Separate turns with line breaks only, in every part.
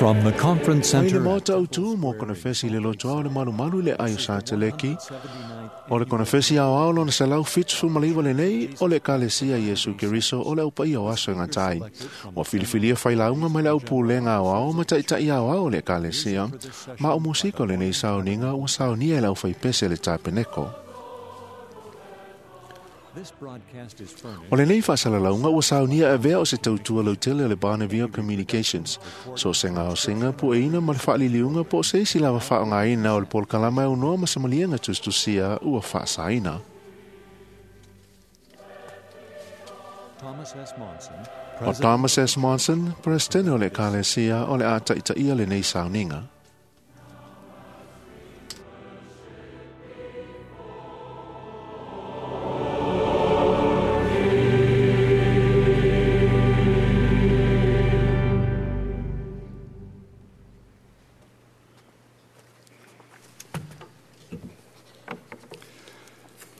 From the conference
Mai le
center
maota autu mo konefesi le lotoa o le malumalu le ai o sa teleki. O le konefesi ao ao lona 179 lenei o le Ekalesia Iesu Keriso o le aupaia o aso e gatai. Ua filifilia failauga mai le aupulega aoao ma taʻitaʻi aoao o le Ekalesia, ma o musika o lenei sauniga ua saunia e le aufaipese le tapeneko. O lenei faasalalauga ua saunia e avea o se tautua lautele o le Bonneville Communications. So se gaosiga pueina ma le faaliliuga po o se isi lava faaaogaina o le polokalama e aunoa ma samaliega tusitusia ua faasaina.
Thomas S. Monson,
O Thomas S. Monson, Peresetene o le Ekalesia o le a taʻitaʻia lenei sauniga.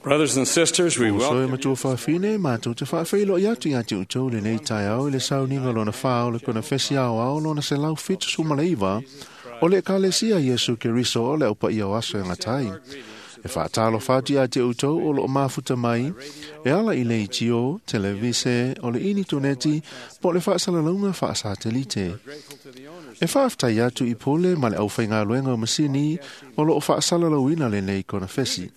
Brothers and sisters, we
Uso e
welcome
matua faafine, matou te faafeiloai atu ia te outou lenei taeao i le sauniga lona 4 o le konefesi aoao lona 179 o le Ekalesia Iesu Keriso o le aupaia o aso e gatai. E faatalofa atu ia te outou o loo mafuta mai, e ala i le itio, televise, o le initoneti, po o le faasalalauga faasatelite. E faafetai atu i pule ma le aufaigaluega o masini o loo faasalalauina lenei konefesi.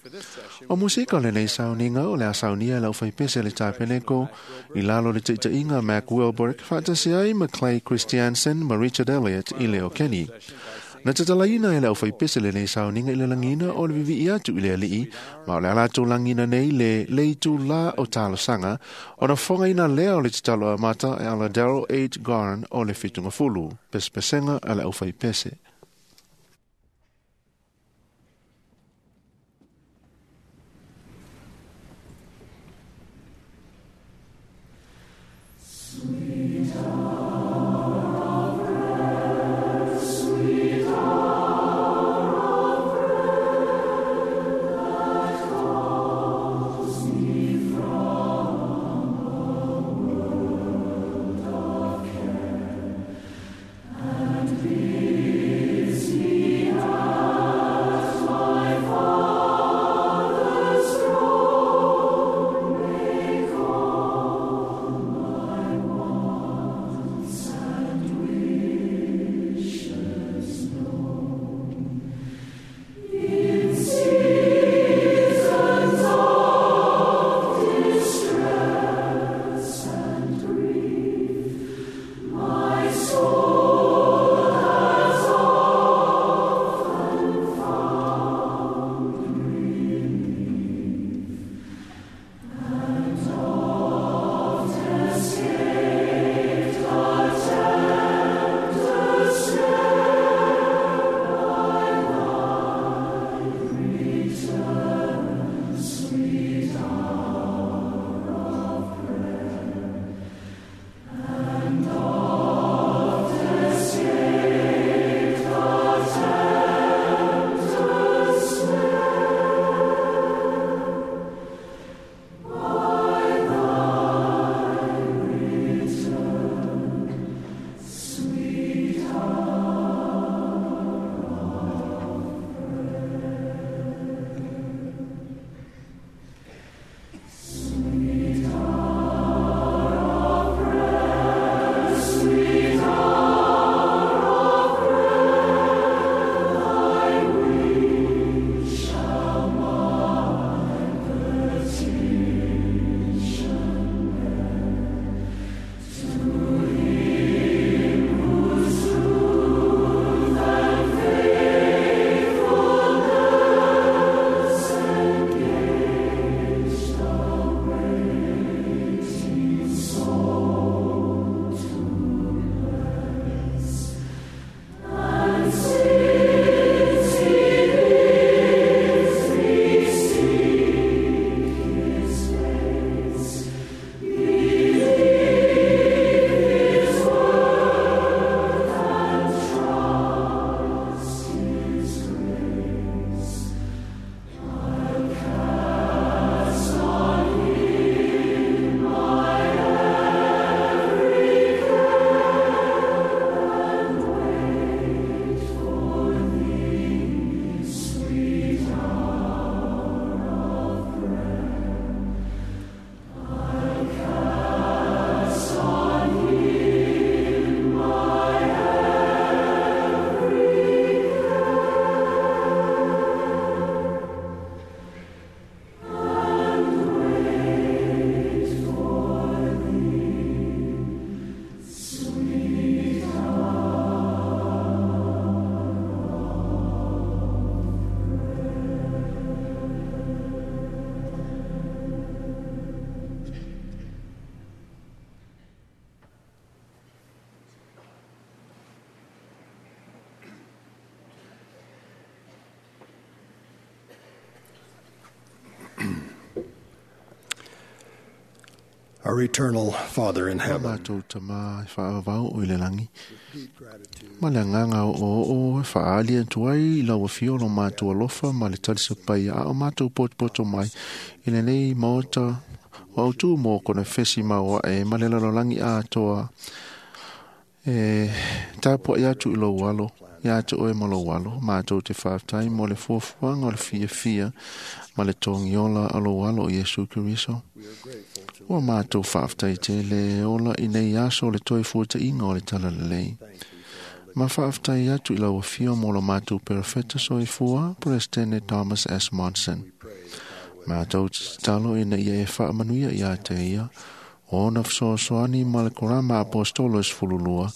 O musika o lenei sauniga o le a saunia e le aufaipese le tapeneko i lalo le taʻitaʻiga Mac Wilberick faatasi ai ma Clay Christiansen ma Richard Elliott i le o Kenny. Na tatalaina e le aufaipese lenei sauniga i le lagiina o le vivii atu i le alii, ma o le a latou lagina nei le leitulā o talosaga, ona fogaina lea o le tatalo amata e ala Daryl H. Garn o le fitugafulu, pesepesega a le aufaipese.
Our eternal Father in heaven,
Mātou tamā e whaavau o i le langi.
deep gratitude
Ma le anganga o o o e whaali atu ai i lau afio lo mātou alofa ma le talisapai a o mātou potopoto mai i le nei maota o au tū mō kona fesi maua e ma le lalolangi atoa e tāpua i atu i lou alo i atu oe ma lou alo mātou te whātai mo le fuafuaga o le fiafia ma le togiola a lou alo o Iesu Keriso.
we are grateful to
Ua mātou whaaftai te le ola i nei aso o le toi fuatainga o le talalelei.
thank you for our
Ma whaaftai atu i lau afio mo lo mātou perofeta soifua, Presidente Thomas S. Monson.
we pray that thou would
Mātou talo ina ia e whaamanuia i a te ia, o na whasoasoani ma le korama apostolo e sefululua,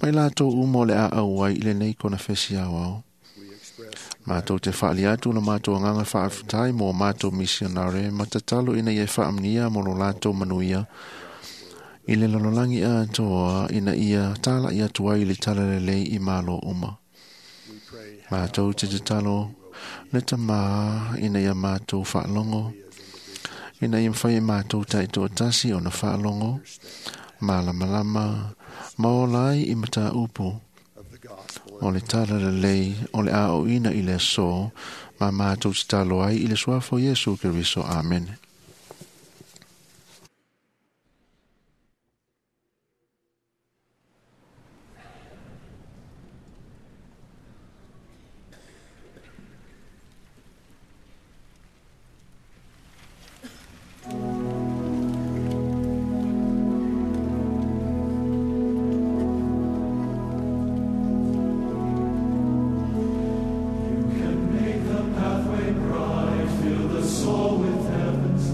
mai lātou umo le a au ai i le nei kona fesi au au.
we express
Mātou te whaali atu na mātou anganga whaaftai mō mātou misionare, ma tatalo ina ia e whaamnia mo lo lātou manuia, i le lalolangi atoa ina ia tāla i atu ai i le talalelei i malo uma.
we pray
Mātou te tatalo le tamā ina ia mātou whaalongo, ina ia mwhai e mātou taito tasi o na whaalongo, malamalama, maola ai i mata upu,
of the gospel
o le talalelei o le ao ina i le aso, ma mātou te talo ai i le suafo Iesu Keriso. Amen.
Make the pathway bright, fill the soul with heaven's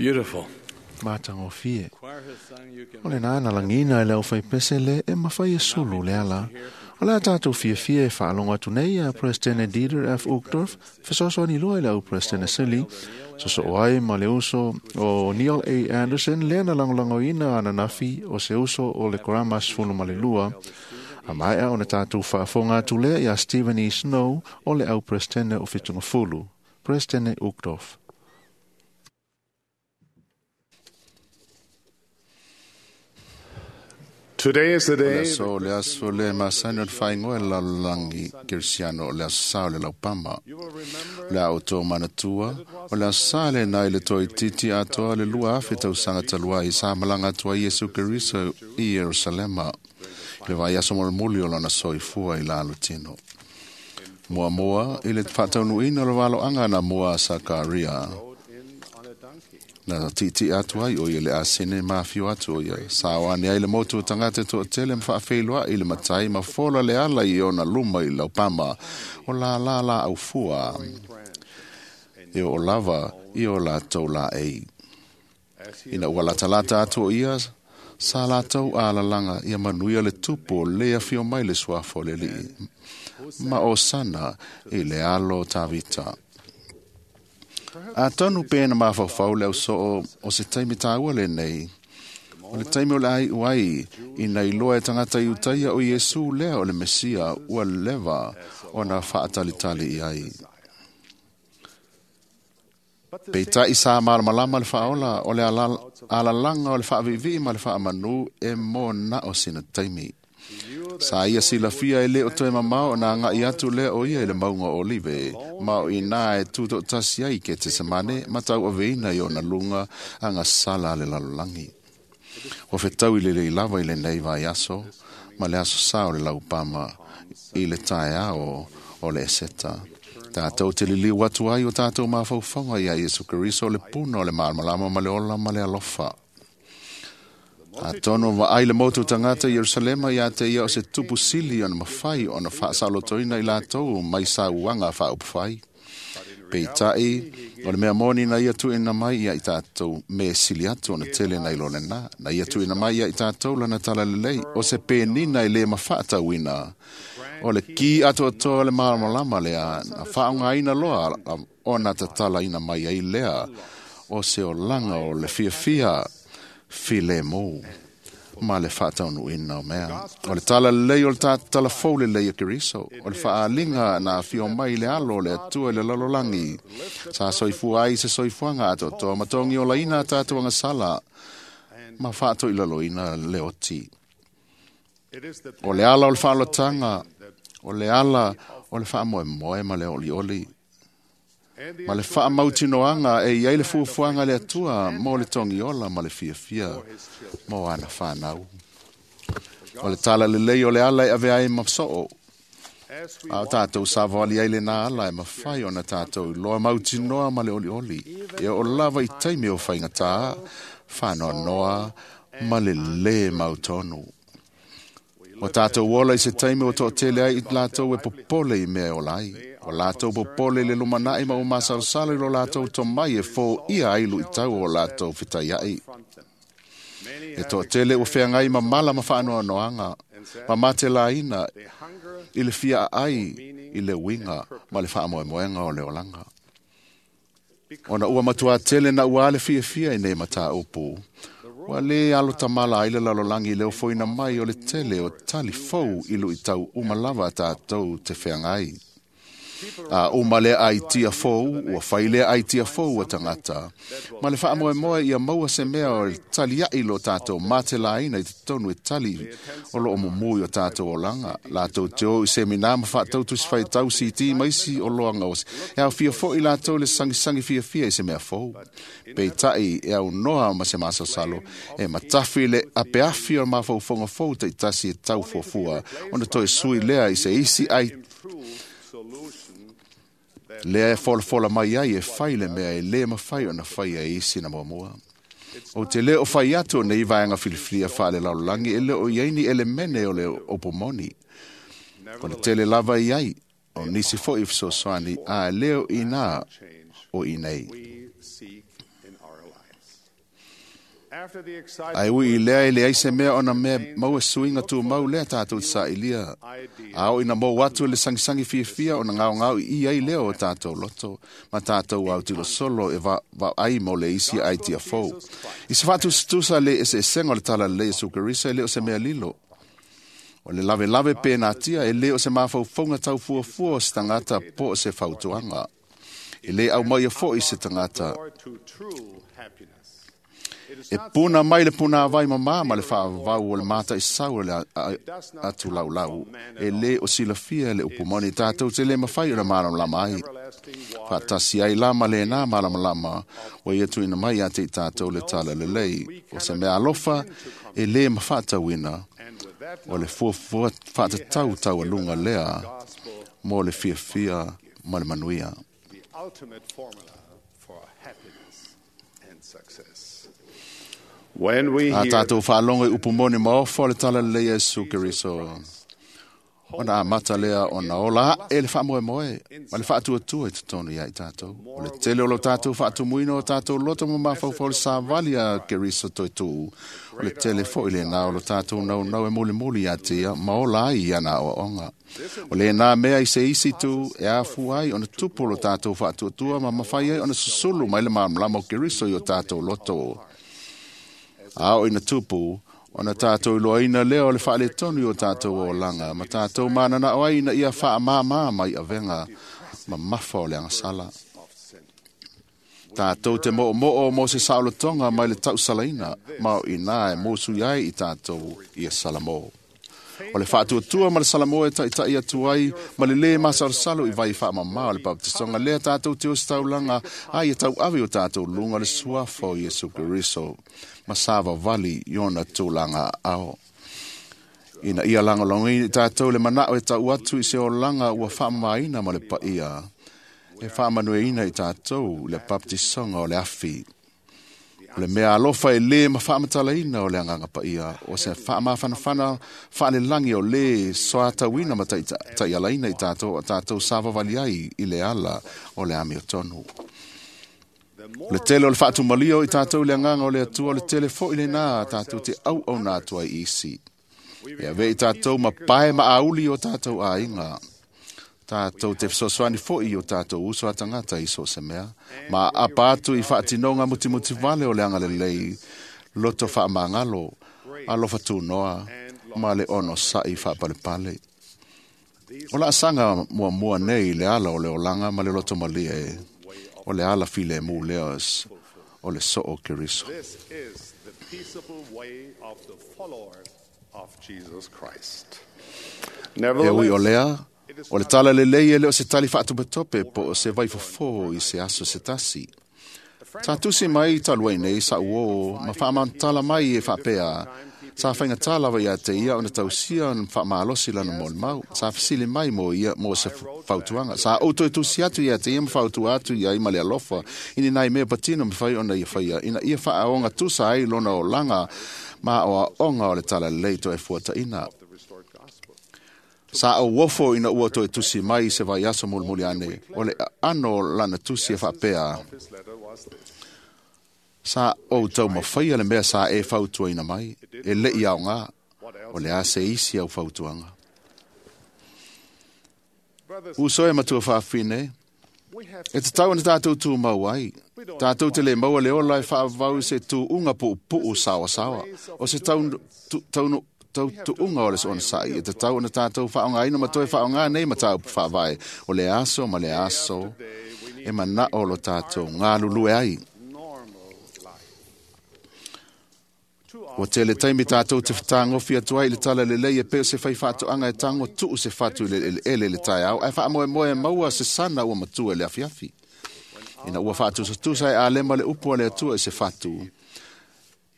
Beautiful.
Matagofie. O lena na lagiina e le aufaipese le e mafai e sulu le ala. O le a tatou fiafia e faalogo atu nei ia Peresetene Dieter F. Uchtdorf, fesoasoani loa i le au Peresetene Sili, sosoo ai ma le uso o Neil A. Andersen lea na lagolagoina ananafi o se uso o le Korama 12, a maea ona tatou faafofoga atu lea iā Stephen E. Snow o le au Peresetene o Fitugafulu. Peresetene Uchtdorf.
Today is the
O le
day
aso o le aso le masani o le faaigoa e le lalolagi kerisiano o le aso sa o le laupama. O le a outou manatua, o le aso sa lenā i le toaitiiti atoa le 2,000 tausaga talu ai sa malaga atu ai Iesu Keriso i Ierusalema i le vaiaso molimoli o lona soifua i lalotino. Muamua i le faataunuuina o le valoaga na mua a Sakaria. Na tiitii atu ai o ia le asene ma afio atu o ia. Sa o ane ai le motu o tagata toatele ma faafeiloai i le matai ma fola le ala i ona luma i laupama o la la la au fua. E o lava i o latou laei. Ina ua latalata atu o ia, sa latou alalaga ia manuia le tupu o le afio mai le suafa o le Alii. Ma o sana i le alo o Tavita. Atonu pe na mafaufau le ausoo o se taimi tāua lenei. O le taimi o le ai uai, ina iloa e tagata i Iutaia o Iesu lea o le Mesia ua leva ona faatalitali i ai. Peitai sa malamalama le faaola o le alalaga o le faaviivii ma le faamanu e mo na o sina taimi. Sa ia silafia e le o toe mamao ona agai atu lea o ia i le mauga o Olive, ma o inā e tutoatasi ai i Ketesemane ma tauaveina i ona luga agasala a le lalolagi. Ua fetaui lelei lava i lenei vaiaso ma le aso sa o le laupama i le taeao o le Eseta. Tatou te liliu atu ai o tatou mafaufauga iā Iesu Keriso o le puna o le malamalama ma le ola ma le alofa. Atonu vaai le motu o tagata i Ierusalema ia te ia o se tupu sili ona mafai ona faasalotoina i latou mai sauaga faaupufai. Peitai, o le mea moni na ia tuuina mai ia i tatou me sili atu ona tele nai lo lena. Na ia tuuina mai ia i tatou lana talalelei o se penina e le mafaatauina. O le ki atoatoa o le malamalama lea na faaaogaina loa ona tatalaina mai ai lea o se olaga o le fiafia filemu ma le faataunuuina o mea. O le talalelei o le talafou lelei o Keriso, o le faaaliga na afio mai i le alo o le Atua i le lalolagi. Sa soifua ai se soifuaga atoatoa ma togi olaina a tatou agasala ma faatoilaloina le oti. O le ala o le faalotaga, o le ala o le faamoemoe ma le olioli, ma le faamautinoaga e iai le fuafuaga a le Atua mo le togiola ma le fiafia mo ana fanau. O le talalelei o le ala e ave ai ma soo, a o tatou savali ai lenā ala e mafai ona tatou iloa mautinoa ma le olioli. E oo lava i taimi o faigatā, faanoanoa ma le lē mautonu. Ua tatou ola i se taimi ua toatele ai i latou e popole i mea e ola ai. Ua latou popole i le lumanai ma ua masalosalo i lo latou tomai e foia ai luitau o latou fetaiai. E toatele ua feagai ma mala ma faanoanoaga, ma matelaina i le fia aai i le uiga ma le faamoemoega o le olaga. Ona ua matua tele na ua le fiafia i nei mataupu. Ua lē alo tamala ai le lalolagi i le ofoina mai o le tele o tali fou i luitau uma lava a tatou te feagai. A uma lea aitia fou, ua fai lea aitia fou a tagata. Ma le faamoemoe ia maua se mea o le taliai lo tatou matelaina i totonu e tali o loo mumu i o tatou olaga. Latou te o i semina ma faatautusi faitau CD ma isi o loaga o e aofia foi latou le sagisagi fiafia i se mea fou. Peitai e aunoa ma se masalosalo e matafi le apeafi o mafaufauga fou taitasi e tau fuafua ona toe sui lea i se isi ai lea e folafola mai ai e fai le mea e lē mafai ona faia e isi na muamua. O te lē o fai atu o nei vaega filifilia faalelalolagi e le o i ai ni elemene o le opo moni. O le tele lava i ai o nisi foi fesoasoani a e le o inā o i nei.
we seek in our lives.
Ai ui i lea e leai se mea ona mea maua suiga tumau lea tātou te saʻilia. A oo ina mou atu le sagisagi fiafia ona gaogao iī ai lea o tātou loto ma tātou autilosolo e vaai mo le isi aitia fou. I se faatusatusa le eseesega o le talalelei Iesu Keriso e le o se mea lilo. O le lavelave pe natia e lē o se mafaufauga taufuafua o se tagata po o se fautuaga. E lē aumaia foʻi se tagata e puna mai le punāvai mamā ma le faavavau o le mataʻisau o le atulaulau. E lē o silafia le upu moni tatou te lē mafai ona malamalama ai. Faatasi ai la ma lenā malamalama ua ia tuuina mai ia te i tatou le talalelei. O se mea alofa e lē mafaatauina o le fuafua faatatau taualuga lea mo le fiafia ma le manuia.
The ultimate formula for happiness and success. When we
A
hear
tātou faalogo i upu moni maofa o le talalelei a Iesu Keriso. Ona amata lea ona ola aʻe le faamoemoe ma le faatuatua i totonu ia i tātou. O le tele o lo tātou faatumuina o tātou loto ma mafaufau le savali a Keriso toe tuu. O le tele foʻi lenā o lo tātou naunau e mulimuli ia te ia ma ola ai ia na aoaoga. O lenā mea i se isi tu e afu ai ona tupu o lo tātou faatuatua ma mafai ai ona susulu mai le malamalama o Keriso i o tātou loto. A oo ina tupu, ona tātou iloaina lea o le faaletonu i o tātou olaga, ma tātou mananao ai ina ia faamāmā mai avega mamafa o le agasala. Tātou te moʻomoʻo mo se saolotoga mai le tausalaina, ma o inā e musui ai i tātou ia Salamo. O le faatuatua ma le Salamo e taʻitaʻi atu ai ma le lē masalosalo i vai faamamā o le baptisoga lea tātou te ositaulaga ai e tauave o tātou luga o le suafa o Iesu Keriso ma savavali i ona tulaga aao. Ina ia lagolagoina i tātou le manao e tau atu i se olaga ua faamamaina ma le paia e faamanuiaina i tātou le baptisoga o le afi. O le mea alofa e lē ma faamatalaina o le agaga paia, o se faamafanafana faalelagi o lē soatauina ma taʻialaina i tātou o tātou savavali ai i le ala o le amiotonu. O le tele o le faatumalia o i tātou le agaga o le Atua, o le tele foʻi lenā tātou te auauna atu ai i isi. E ave i tātou ma pae ma auli o tātou aiga. Tātou te fesoasoani foʻi i o tātou uso a tagata i so o se mea. Ma apa atu i faatinoga mutimuti vale o le agalelei, loto faamagalo, alofa tunoa, ma le ono saʻi faapalepale. O laasaga muamua nei i le ala o le olaga ma le loto malie, o le ala filemu lea o le soo Keriso.
This is the peaceable way of the followers of Jesus Christ.
E ui o
Nevertheless,
lea, o le talalelei e le o se tali faatopetope po o se vaifofo i se aso se tasi. Sa tusi mai talu ai nei sa uō ma faamantala mai e faapea. Sa faigata lava ia te ia ona tausia ona faamalosi lana molimau. Sa fesili mai mo ia mo se fautuaga. Sa ou toe tusi atu ia te ia ma fautua atu ia i ma le alofa. I ni nai mea patino mafai ona ia faia. Ina ia faaoga tusa ai lona olaga ma oaoga o le talalelei toe fuataʻina. Sa ou ofo ina ua toe tusi mai se vaiaso mulimuli ane. O le aano lana tusi e faapea.
his letter was this.
Sa ou taumafaia le mea sa e fautuaina mai. E leʻi aogā. O le a se isi au fautuaga.
Brothers,
Uso e matua faafine,
we have
e tatau ona tātou tumau ai. Tātou te lē maua le ola e faavavau i se tuuga puupuu saoasaoa. O se tautuuga o le onosaʻi e tatau ona tātou faaaogaina ma toe faaaogā nei mataupu faavae. O le aso ma le aso e manao lo tātou galulue ai.
normal life.
Ua tele taimi tātou te fetagofi atu ai i le talalelei e pei o se fai faatoaga e tago tuu se fatu i le eleele i le taeao, ae faamoemoe e maua se sana ua matua i le afiafi. Ina ua faatusatusa e alema le upu a le Atua i se fatu.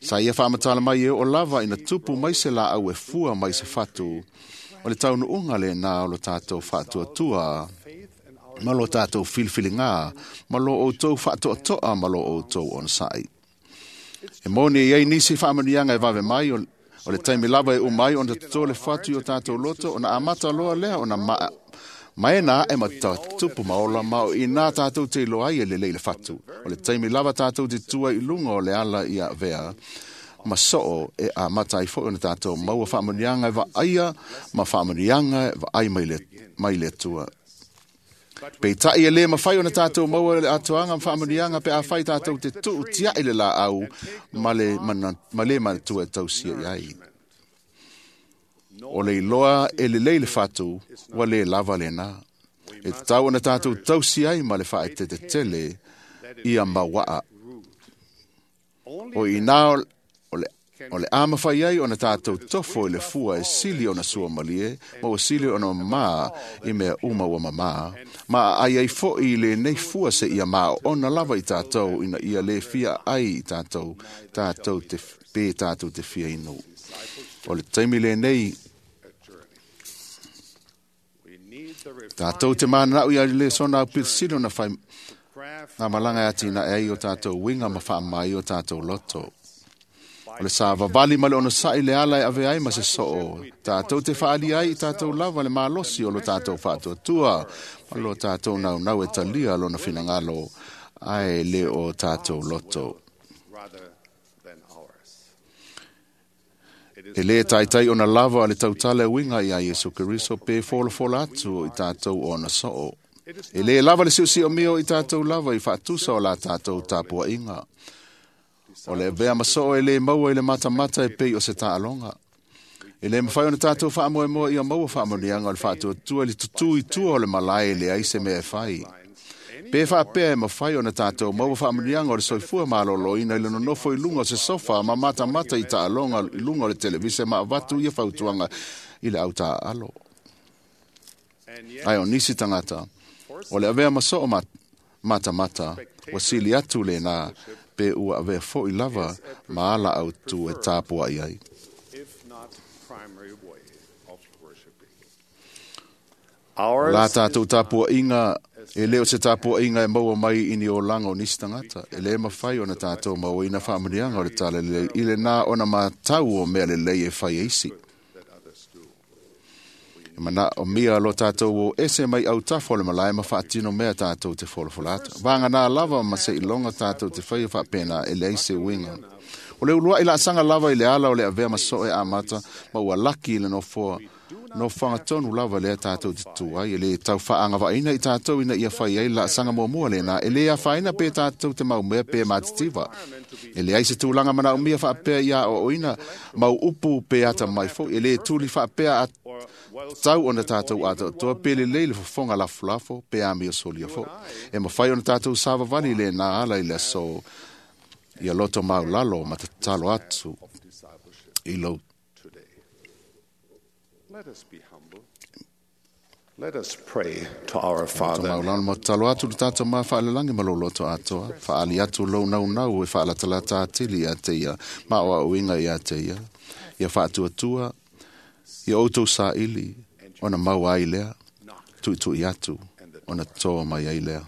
Sa ia faamatala mai e oo lava ina tupu mai se laau e fua mai se fatu. O le taunuuga lenā o lo tātou faatuatua ma lo tātou filifiligā, ma lo outou faatoatoa ma lo outou onosaʻi. E moni e iai nisi faamanuiaga e vave mai o le taimi lava e uma ai ona totō le fatu i o tātou loto, ona amata loa lea ona maena aʻe ma tupu ma ola ma o inā tātou te iloa ai e lelei le fatu. O le taimi lava tātou te tua i luga o le ala ia avea, ma soo e amata ai foi ona tātou maua faamanuiaga e vaaia ma faamanuiaga e vaai mai le Atua. Peitai e lē mafai ona tātou maua le atoaga ma faamanuiaga pe afai tātou te tuu tia'i le laau ma le manatua e tausia i ai. O le iloa e lelei le fatu, ua lē lava lenā. E tatau ona tātou tausi ai ma le faaetetetele ia mauaa. O inā o le a mafai ai ona tātou tofo i le fua e sili ona suamalie, ma ua sili ona mamā i mea uma ua mamā, ma aai ai fo'i i lenei fua seia maoona lava i tātou ina ia lē fia ai i tātou, tātou te, pe tātou te fia inu. O le taimi lenei, tātou te manana'u ia le sona au pitisili ona fai ngā malanga e atina e ai o tātou winga ma whaamai o tātou loto. O le sa vavali ma le ono sa'i le ala e ave ai ma se soo. Tātou te whaali ai i tātou lava le malosi o lo tātou whaatuatua. Ma lo tātou nau nau e talia lona finangalo ai le o tātou loto. E le taitai ona lava le tautala e winga ia Iesu Keriso pe folafola atu i tātou ona soo. E le lava le siosio mio i tātou lava i whaatusa o la tātou tāpua inga. O le avea masoo e le maua i le matamata e pei o se taaloga. E le mawhai ona tātou whaamoemoa ia maua whaamoneanga o le whaatuatua le tutu i tua o le malae le ai se mea e whai. Pe whaapea e mawhai ona tātou maua whaamoneanga o le soifua maloloina i le nonofo i lunga o se sofa ma matamata i taaloga i lunga o le televise ma avatu ia fautuaga i le au taalo. Ai o nisi tangata, o le avea masoo matamata, ua sili atu le nā pe ua avea fo'i lava ma ala au tu e tāpua i ai. La tātou tāpua inga, e leo se tāpua inga e maua mai i ni o langa o nisi tangata. E le mawhai ona tātou maua ina whaamunianga o le tala lelei, i le nā ona mātau o mea lelei e whai eisi. E mana o mia lo tātou o ese mai au tafo le malae ma whaatino mea tātou te folafola atu. Vānga nā lava ma se ilonga tātou te whai o whaapena e leai se uinga. O le ulua i la sanga lava i le ala o le avea maso e amata ma ua laki i le nofoa. No whangatonu lava lea tātou te tū ai, e le tau whaanga vaina i tātou ina ia whai ai la sanga mua le nā, e le a whaina pe tātou te mau mea pe mātitiva. E le ai se tūlanga mana o mia whaapea ia o oina, mau upu pe ata mai fo, e le tūli whaapea a tau ona tātou ata toa pe le leile fofonga lafulafo pe a mea solia fo. E mawhai ona tātou savavali le nā ala i le so ia loto mau lalo ma te talo atu i lau.
Let us be humble. Let us pray to our Father.
Maulana mo talo atu le tātou mā whaalelangi ma lo loto atoa. Whaali atu lo nau nau e whaalatalata atili ia te ia. Ma o au inga ia te ia. Ia whaatuatua. Ia outou sāili. Ona mau ai lea. Tuitui atu. Ona toa mai ai lea.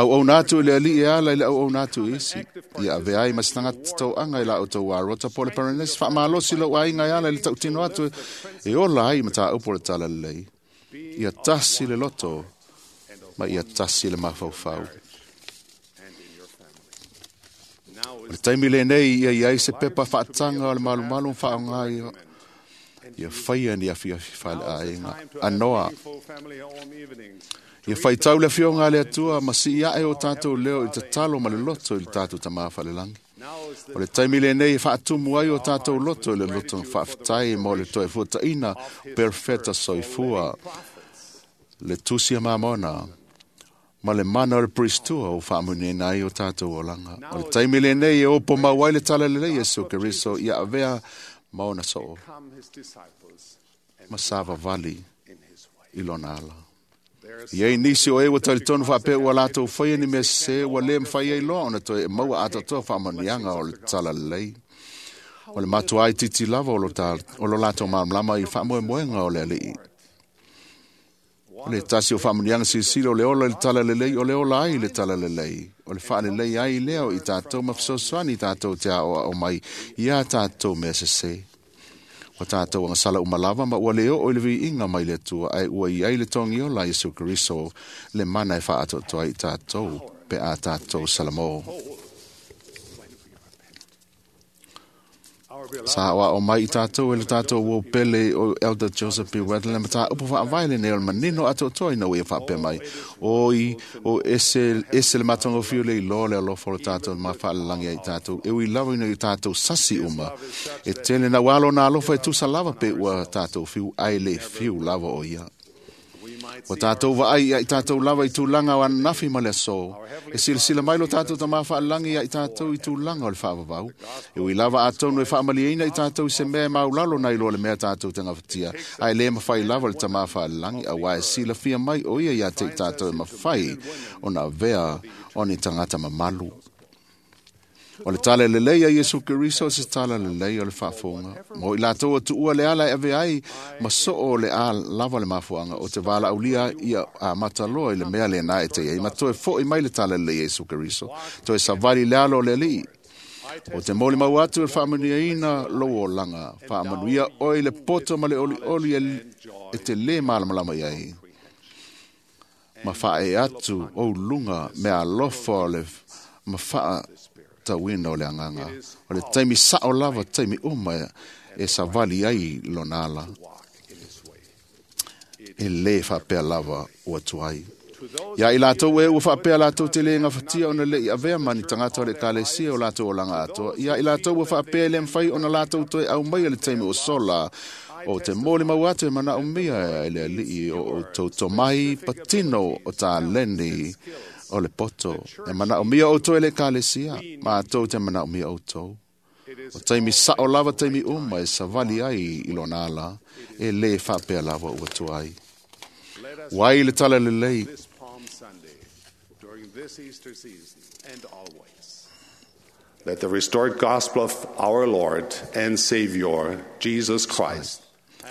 Au au nātu i le ali e ala i le au au nātu isi. Ia ave ai ma se tangata tauaga i la o tau arota po le Paranesi. Whaamalosi lau ainga e ala i le tautino atu e ola ai ma tāupo le tala lelei. Ia tasi le loto ma ia tasi le mafaufau. O le taimi lenei ia i ai se pepa whaatanga o le malumalu whaonga ia whaia ni awhi awhi whale ainga. Anoa. Ia whaitau le whionga le atua, ma si ia e o tātou leo i te talo ma le loto i le tātou tamā whalelangi. O le taimi lenei e whaatumu ai o tātou loto i le loto whaaftai mo le toe fuataina perfeta soifua. Le tusia mamona, ma le mana o le pristua o whaamunena ai o tātou olanga. O le taimi lenei e opo mauai le tala lelei Yesu Keriso ia avea maona soo. Ma savavali i lona ala. Ia i nisi o e ua talitonu whaapea ua lātou whaia ni mea se ua le mwhai ai loa ona toe e maua atatoa whaamanianga o le tala lelei. O le matua ai titi lava o lo lātou māmlama i whaamoemoenga o le alii. O le tasi o whaamanianga sisila o le ola i le tala lelei o le ola ai i le tala lelei. O le whaalelei ai leo i tātou mawhisosoani i tātou te ao o mai i a tātou mea sese. O tātou anga sala umalava ma ua leo o le viinga mai le atua ai ua i ai le tongi ola Yesu Keriso le mana e whaatotoa i tātou pe a tātou salamo. Sa o mai i tātou e le tātou wau pele o Elder Joseph B. Wedler ma tā upu whaavae le nei o le manino atoatoa ina ua ia whaapea mai. Oi o ese ese le matonga fiu le iloa le alofa o le tātou ma whaalalangi ai tātou. E ui lava ina i tātou sasi uma. E tele na walo na alofa e tusa lava pe ua tātou fiu ai le fiu lava o ia. O tātou vaai ia i tātou lava i tūlanga o ananafi ma le aso. E silasila mai lo tātou tamā whaalangi ia i tātou i tūlanga o le whaavavau. E ui lava atonu e whaamalieina i tātou i se mea e maulalo nei lo le mea tātou te ngawatia. Ai le mawhai lava le tamā whaalangi a wai sila fia mai o ia ia te i tātou e mawhai o nā vea o ni tangata mamalu. O le tala lelei a Iesu Keriso se tala lelei o le faafofoga. Mo i latou atuua le ala e ave ai ma soo le a lava le mafuanga o te valaaulia ia a mataloa i le mea lena e te ai. Ma toe fo'i mai le tala lelei a Iesu Keriso. Toe savali le alo o le Alii. O te moli mau atu e faamanuiaina lou olaga. Faamanuia oe i le poto ma le olioli e te lē malamalama i ai. Ma faaee atu ou luga mea alofa o le ma faatauina o le agaga. O le taimi sao lava taimi uma e savali ai lona ala. E lē faapea lava ua tuai. Ia i latou e ua faapea latou te lē gafatia ona le'i avea ma ni tagata o le ekalesia o latou olaga atoa. Ia i latou ua faapea e lē mafai ona latou toe aumaia le taimi o sola o te molimau atu e manaomia e le Alii o outou tomai patino o taleni o le poto. E manaomia outou e le ekalesia, matou te manaomia outou. O taimi sao lava taimi uma e savali ai i lona ala, e lē faapea lava ua tuai. Wai le tala lelei.
This Palm Sunday, during this Easter season, and always. Let the restored gospel of our Lord and Savior, Jesus Christ,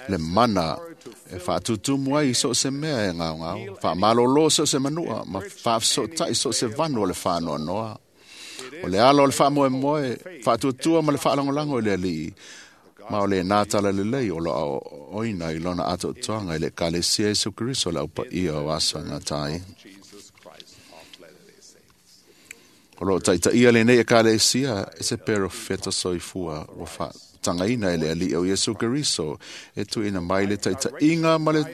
Le mana e whaatutumu ai so se mea e ngao ngao. Whaamalolo so se manua, ma whaafsotai so se vanu o le whanoa noa. O le alo o le whaamoe moe, whaatutua ma le whaalangolango i le alii. Ma o le nā tala lelei o loa oina i lona atoatoanga i le ekalesia Iesu Keriso le aupa ia o aso e ngatai.
Jesus Christ of Latter-day Saints.
O loo taitaia lenei ekalesia e se perofeta soifua ua whaatangaina e le alii o Iesu Keriso e tuuina mai le taitaiga ma le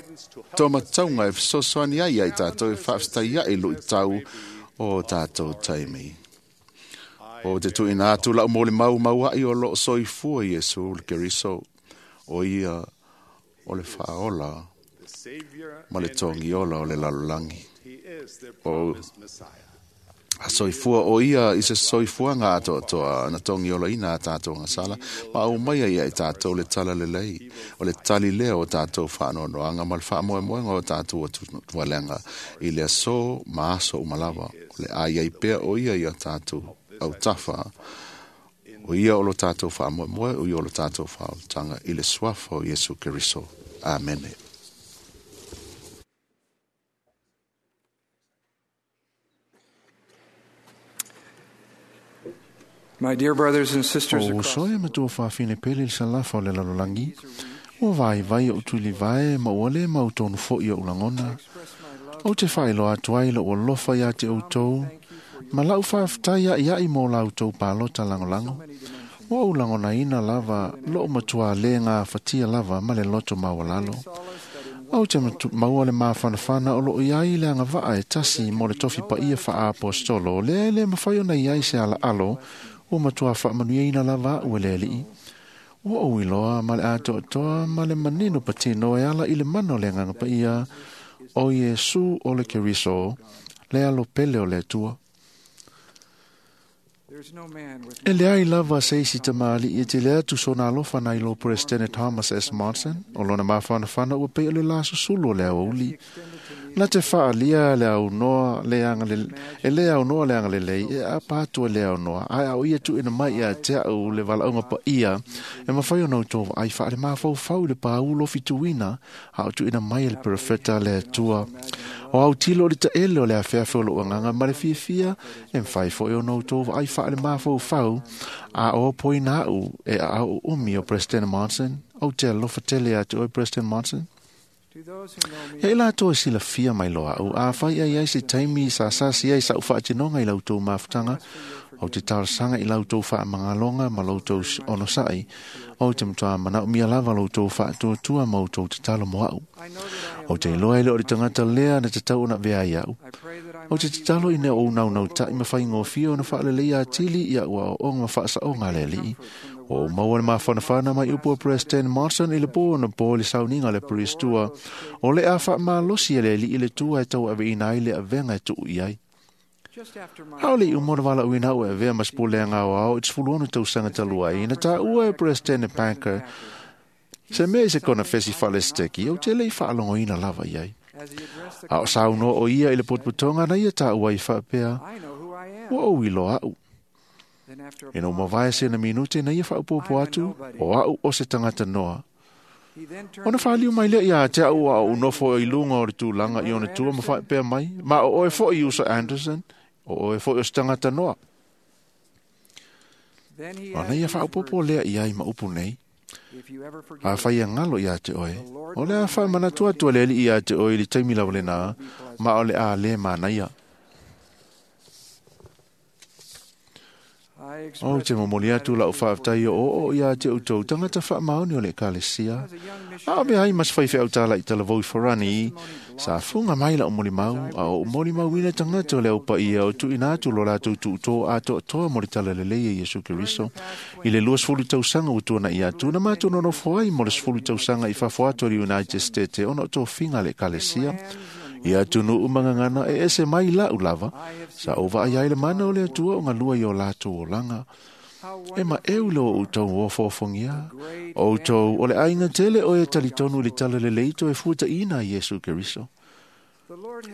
tomataunga e fesoasoani ai ai tātou e faafetaia'i lu'itau o tātou taimi. O te tuuina atu la'u molimau maua'i o loo soifua Iesu le Keriso o ia o le faaola
The Savior,
ma le togiola o le lalolagi.
He is the promised Messiah.
A soifua o ia i se soifuaga atoatoa na togiolaina a tātou gasala ma au mai ai i tātou le tala lelei o le tali lea o tātou faanoanoaga ma le faamoemoega o tātou atualega i le aso ma aso uma lava. O le ai ai pea o ia ia tātou autafa o ia o lo tātou faamoemoe o ia o lo tātou faaolataga i le suafa o Iesu Keriso. Amene.
My dear brothers and sisters
O
across
uso e matua whawhine pele le salafa o le lalolagi, ua vai vai o tuli vae ma ua le mau tonu fo i o ulangona. O te whailo atu ai lo alofa ia te outou, ma lau whaaftai ia ia i mō lau tau pālota langolango. Ua ulangona ina lava, lo matua le ngā whatia lava ma le loto mawalalo. Au te maua le māwhanawhana o loo iai le anga vaa e tasi mo le tofi pa ia wha apostolo, le le mawhai ona iai se ala alo, o matua whaamanuiaina lava ua le alii. Ua o iloa ma le atoatoa ma le manino patino e ala i le mana o le agaga paia o Iesu o le Keriso, le alo pele o le Atua.
There's no man with
E leai lava se isi tamalii e tele atu sona alofa nai lo Presidente Thomas S. Monson, o lona mafanafana ua pei o le la susulu o le aoauli. Na te faalia le aunoa le e le aunoa le agalelei e apa atu e le aunoa. Ae au ia tuuina mai ia te au le valaauga paia e mafai ona outou vaai faale mafaufau i le pāulu o fituina a o tuuina mai e le perofeta le Atua. O au tilo o le taele o le afeafe o lou agaga ma le fiafia e mafai foi ona outou vaai faale mafaufau a o poina au e aao umi o President Monson. Ou te alofa tele ia te oe President Monson. Ia i latou e silafia mai loa a'u, afai ai ai se taimi sa sasi ai sa'u faatinoga i la outou mafutaga, ou te talosaga i la outou faamagaloga ma la outou onosa'i, ou te matuā manaomia lava lo outou faatuatua ma outou tatalo mo a'u. Ou te iloa e le o le tagata lea na tatau ona avea ai a'u. Ou te tatalo ina ou naunauta'i ma faigofie ona faaleleia atili i a'u aoaoga ma faasaoga a le Alii. Ua ou maua le mafanafana mai upu a President Monson i le po ona po i le sauniga a le Peristua, o le a faamalosi e le Alii le tua e tauaveina ai le avega e tuu i ai. A o le i uma ona valaauina a'u e avea ma se pulega aoao i te 16 tausaga talu ai, na taua e President Packer se mea i se konefesi faalesiteki, ou te le i faalogoina lava i ai. A o saunoa o ia i le potopotoga na ia taua ai faapea, ua ou iloa a'u. Ina ua mavae sena minute na ia faaopoopo atu, o a'u o se tagata noa. Ona faaliu mai lea ia te a'u a ou nofo i luga o le tulaga i ona tua ma faapea mai, ma o oe fo'i Usa Anderson, o oe fo'i o se tagata noa. Ona ia faaopoopo lea i ai ma upu nei, afai e galo ia te oe, o le a faamanatu atu a le Alii ia te oe i le taimi lava lenā, ma o le a lē manaia. Ou te momoli atu la'u faafetai o'oo'o ia te outou tagata faamaoni o le Ekalesia. A o avea ai ma se faifeau tala'i talavou i Farani, sa fuga mai la'u molimau, a o ou molimauina tagata o le aupaia o tuuina atu lo latou tuutō atoatoa mo le talalelei e Iesu Keriso. I le 20 tausaga ua tuana'i atu, na matou nonofo ai mo le 10 tausaga i fafo atu o le United States ona o tofiga a le Ekalesia. Ia atunuu magagana e ese mai la'u lava, sa ou vaai ai le mana o le Atua o galua i o latou olaga. E maʻeu le o outou ofoofogia, o outou o le aiga tele o e talitonu i le talalelei toe fuataʻina a Iesu Keriso.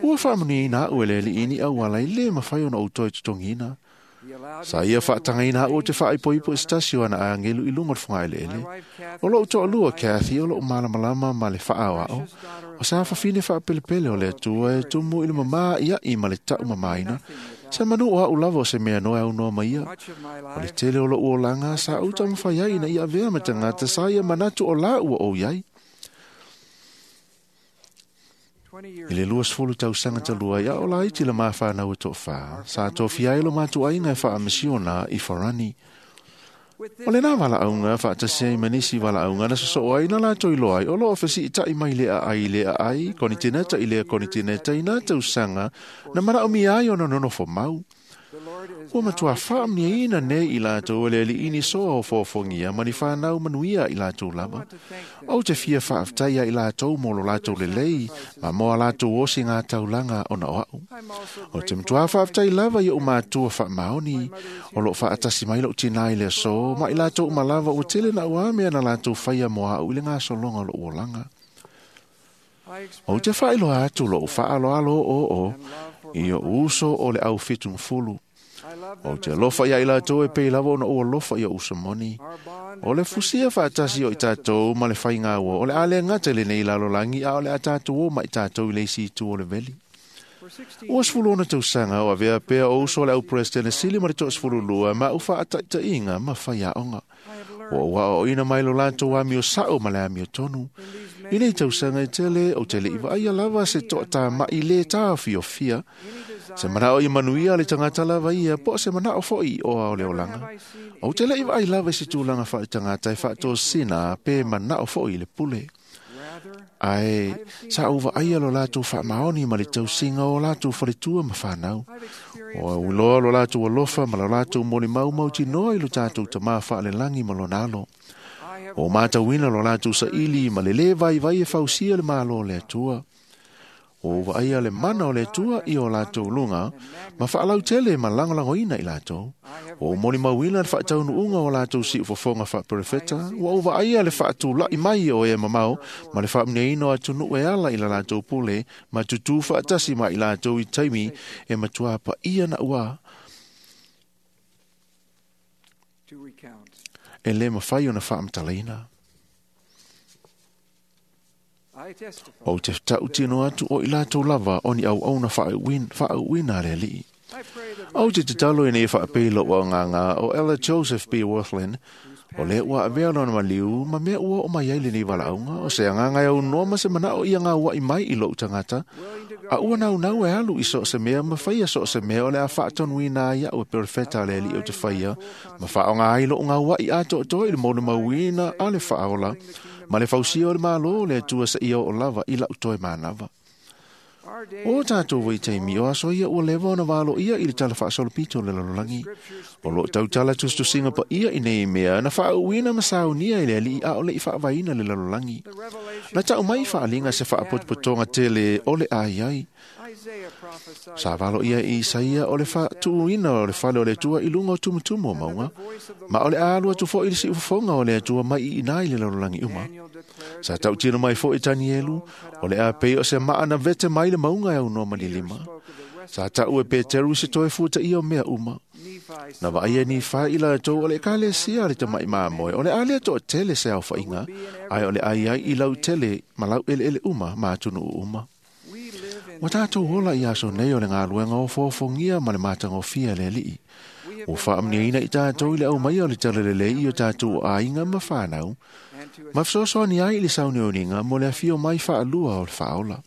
Ua faamanuiaina a'u e le Alii i ni auala e lē mafai ona ou toe totogiina. Sa ia faatagaina a'u ou te faaipoipo i se tasi o ana agelu i luga o le fogaeleele. O lo'u toalua Kathy o lo'u malamalama ma le faaoao, o sa fafine faapelepele o le Atua e tumu i le mamā ia'i ma le taʻumamāina, sa manu o a'u lava o se mea noa e aunoa mai ia. O le tele o lo'u olaga sa ou taumafai ai ina ia avea ma tagata sa ia manatu o la ua ou iai. I le 20 tausaga talu ai, a o laiti le mafanau e toafā, sa tofia ai lo matou aiga e faamisiona i Farani. O lenā valaauga faatasi ai ma nisi valaauga na sosoo ai na latou iloa ai o loo fesiita'i mai le aai i le aai, konitineta i lea konitineta i nā tausaga na manaomia ai ona nonofo mau. Ua matuā faamanuiaina nei i latou e le Alii ni soa ofoofogia ma ni fanau manuia i latou lava. Ou te fia faafetai ia i latou mo lo latou lelei ma mo a latou osi gā taulaga ona o a'u. Ou te matuā faafetai lava i o'u matua faamaoni, o loo faatasi mai lo'u tinā i le aso, ma i latou uma lava ua tele na uamea na latou faia mo a'u i le gasologa o lo'u olaga. Ou te faailoa atu lo'u faaaloalo o'oo'o i o'u uso o le au 70. Ou te alofa ia i latou e pei lava ona ou alofa i o'u uso moni. O le fusia faatasi o i tatou ma le faigaua, o le a le gata i lenei lalolagi, a o le a tatou o ma i tatou i le isi itu o le veli. Ua 16 tausaga o avea pea o uso o le au President sili ma le 12 ma u faataitaiga ma faiaoga. Ua ou aoaoina mai lo latou amio sa'o ma le amio tonu. I nei tausaga e tele, ou te le'i vaaia lava se toatāma'i lē taofiofia, se mana'o ia manuia le tagata lava ia, po o se mana'o fo'i i oa o le olaga. Ou te le'i vaai lava i se tulaga faaletagata e faatosina pe mana'o fo'i i le pule. Ae sa ou vaaia lo latou faamaoni ma le tausiga o latou faletua ma fanau. O au iloa lo latou alofa ma lo latou molimau mautinoa i lo tatou tamā faalelagi ma lona alo. O matauina lo latou saili ma le lē vaivai e fausia le malo o le Atua. O vaaia le mana o le Atua i o latou luga, ma faalautele ma lagolagoina i latou. Ua ou molimauina le faataunuuga o latou siufofoga faaperefeta, ua ou vaaia le faatula'i mai o e mamao ma le faamanuiaina o atunuu e ala i la latou pule, ma tutū faatasi ma i latou i taimi e matuā paia naʻuā e lē mafai ona faamatalaina. Ou te taʻutino atu o i latou lava o ni auauna faauuina a le Alii. Ou te tatalo ina ia faapei lo'u agaga o Ella Joseph B. Wirthlin, O lea ua avea lona maliu ma mea ua oo mai ai lenei valaauga, o se agaga e aunoa ma se manao ia gaua'i mai i lo'u tagata, a ua naunau e alu i so o se mea ma faia so o se mea o le a faatonuina ai a'u e perofeta a le Alii ou te faia, ma faaaoga ai lo'u gaua'i atoatoa i le molimauina a le faaola ma le fausia o le Malo o le Atua seia oo lava i la'u toe manava. O tatou vaitaimi o aso ia ua leva ona valoia i le tala faasolopito o le lalolagi. O loo tautala tusitusiga paia i nei mea na faauuina ma saunia e le Alii a o le i faavaina le lalolagi. Na tau mai faaliga se faapotopotoga tele o le ai ai. Sa valoia e Isaia o le faatuina o le fale o le Atua i luga o tumutumu o mauga, ma o le a alu atu foi le siufofoga o le Atua mai i ina i le lalolagi uma. Sa tautino mai foi Tanielu, o le a pei o se maa na vete mai le mauga e aunoa ma ni lima. Sa tau e Peteru se toe fuataia o mea uma. Na vaai e Nifai i latou o le ekalesia a le tama'i mamoe, o le a lea to'atele se aofaiga, ae o le a iai i lautele ma laueleele uma ma atunuu uma. Ua tatou ola i aso nei o le galuega ofoofogia ma le matagofie a le Alii. Ua faamanuiaina i tatou i le aumaia o le talalelei i o tatou aiga ma fanau, ma fesoasoani ai i le sauniuniga mo le afio mai faalua o le faaola.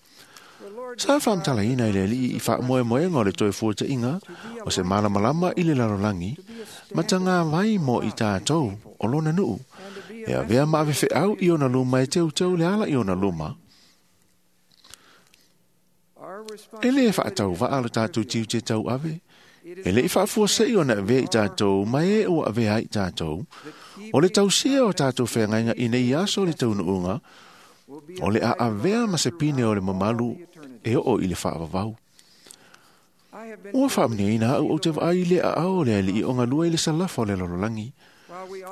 Sa faamatalaina e le Alii i faamoemoega o le toe fuata'iga o se malamalama i le lalolagi, ma tagavai mo i tatou o lona nuu, e avea ma avefeau i ona luma e teuteu le ala i ona luma. E lē faatauvaa lo tatou tiute tauave, e le'i faafuase'i ona avea i tatou ma e ua avea ai i tatou. O le tausia o tatou feagaiga i nei aso o le taunuuga, o le a avea ma se pine o le mamalu e oo i le faavavau. Ua faamanuiaina a'u ou te vaai i le aao o le Alii o galue i le salafa o le lalolagi.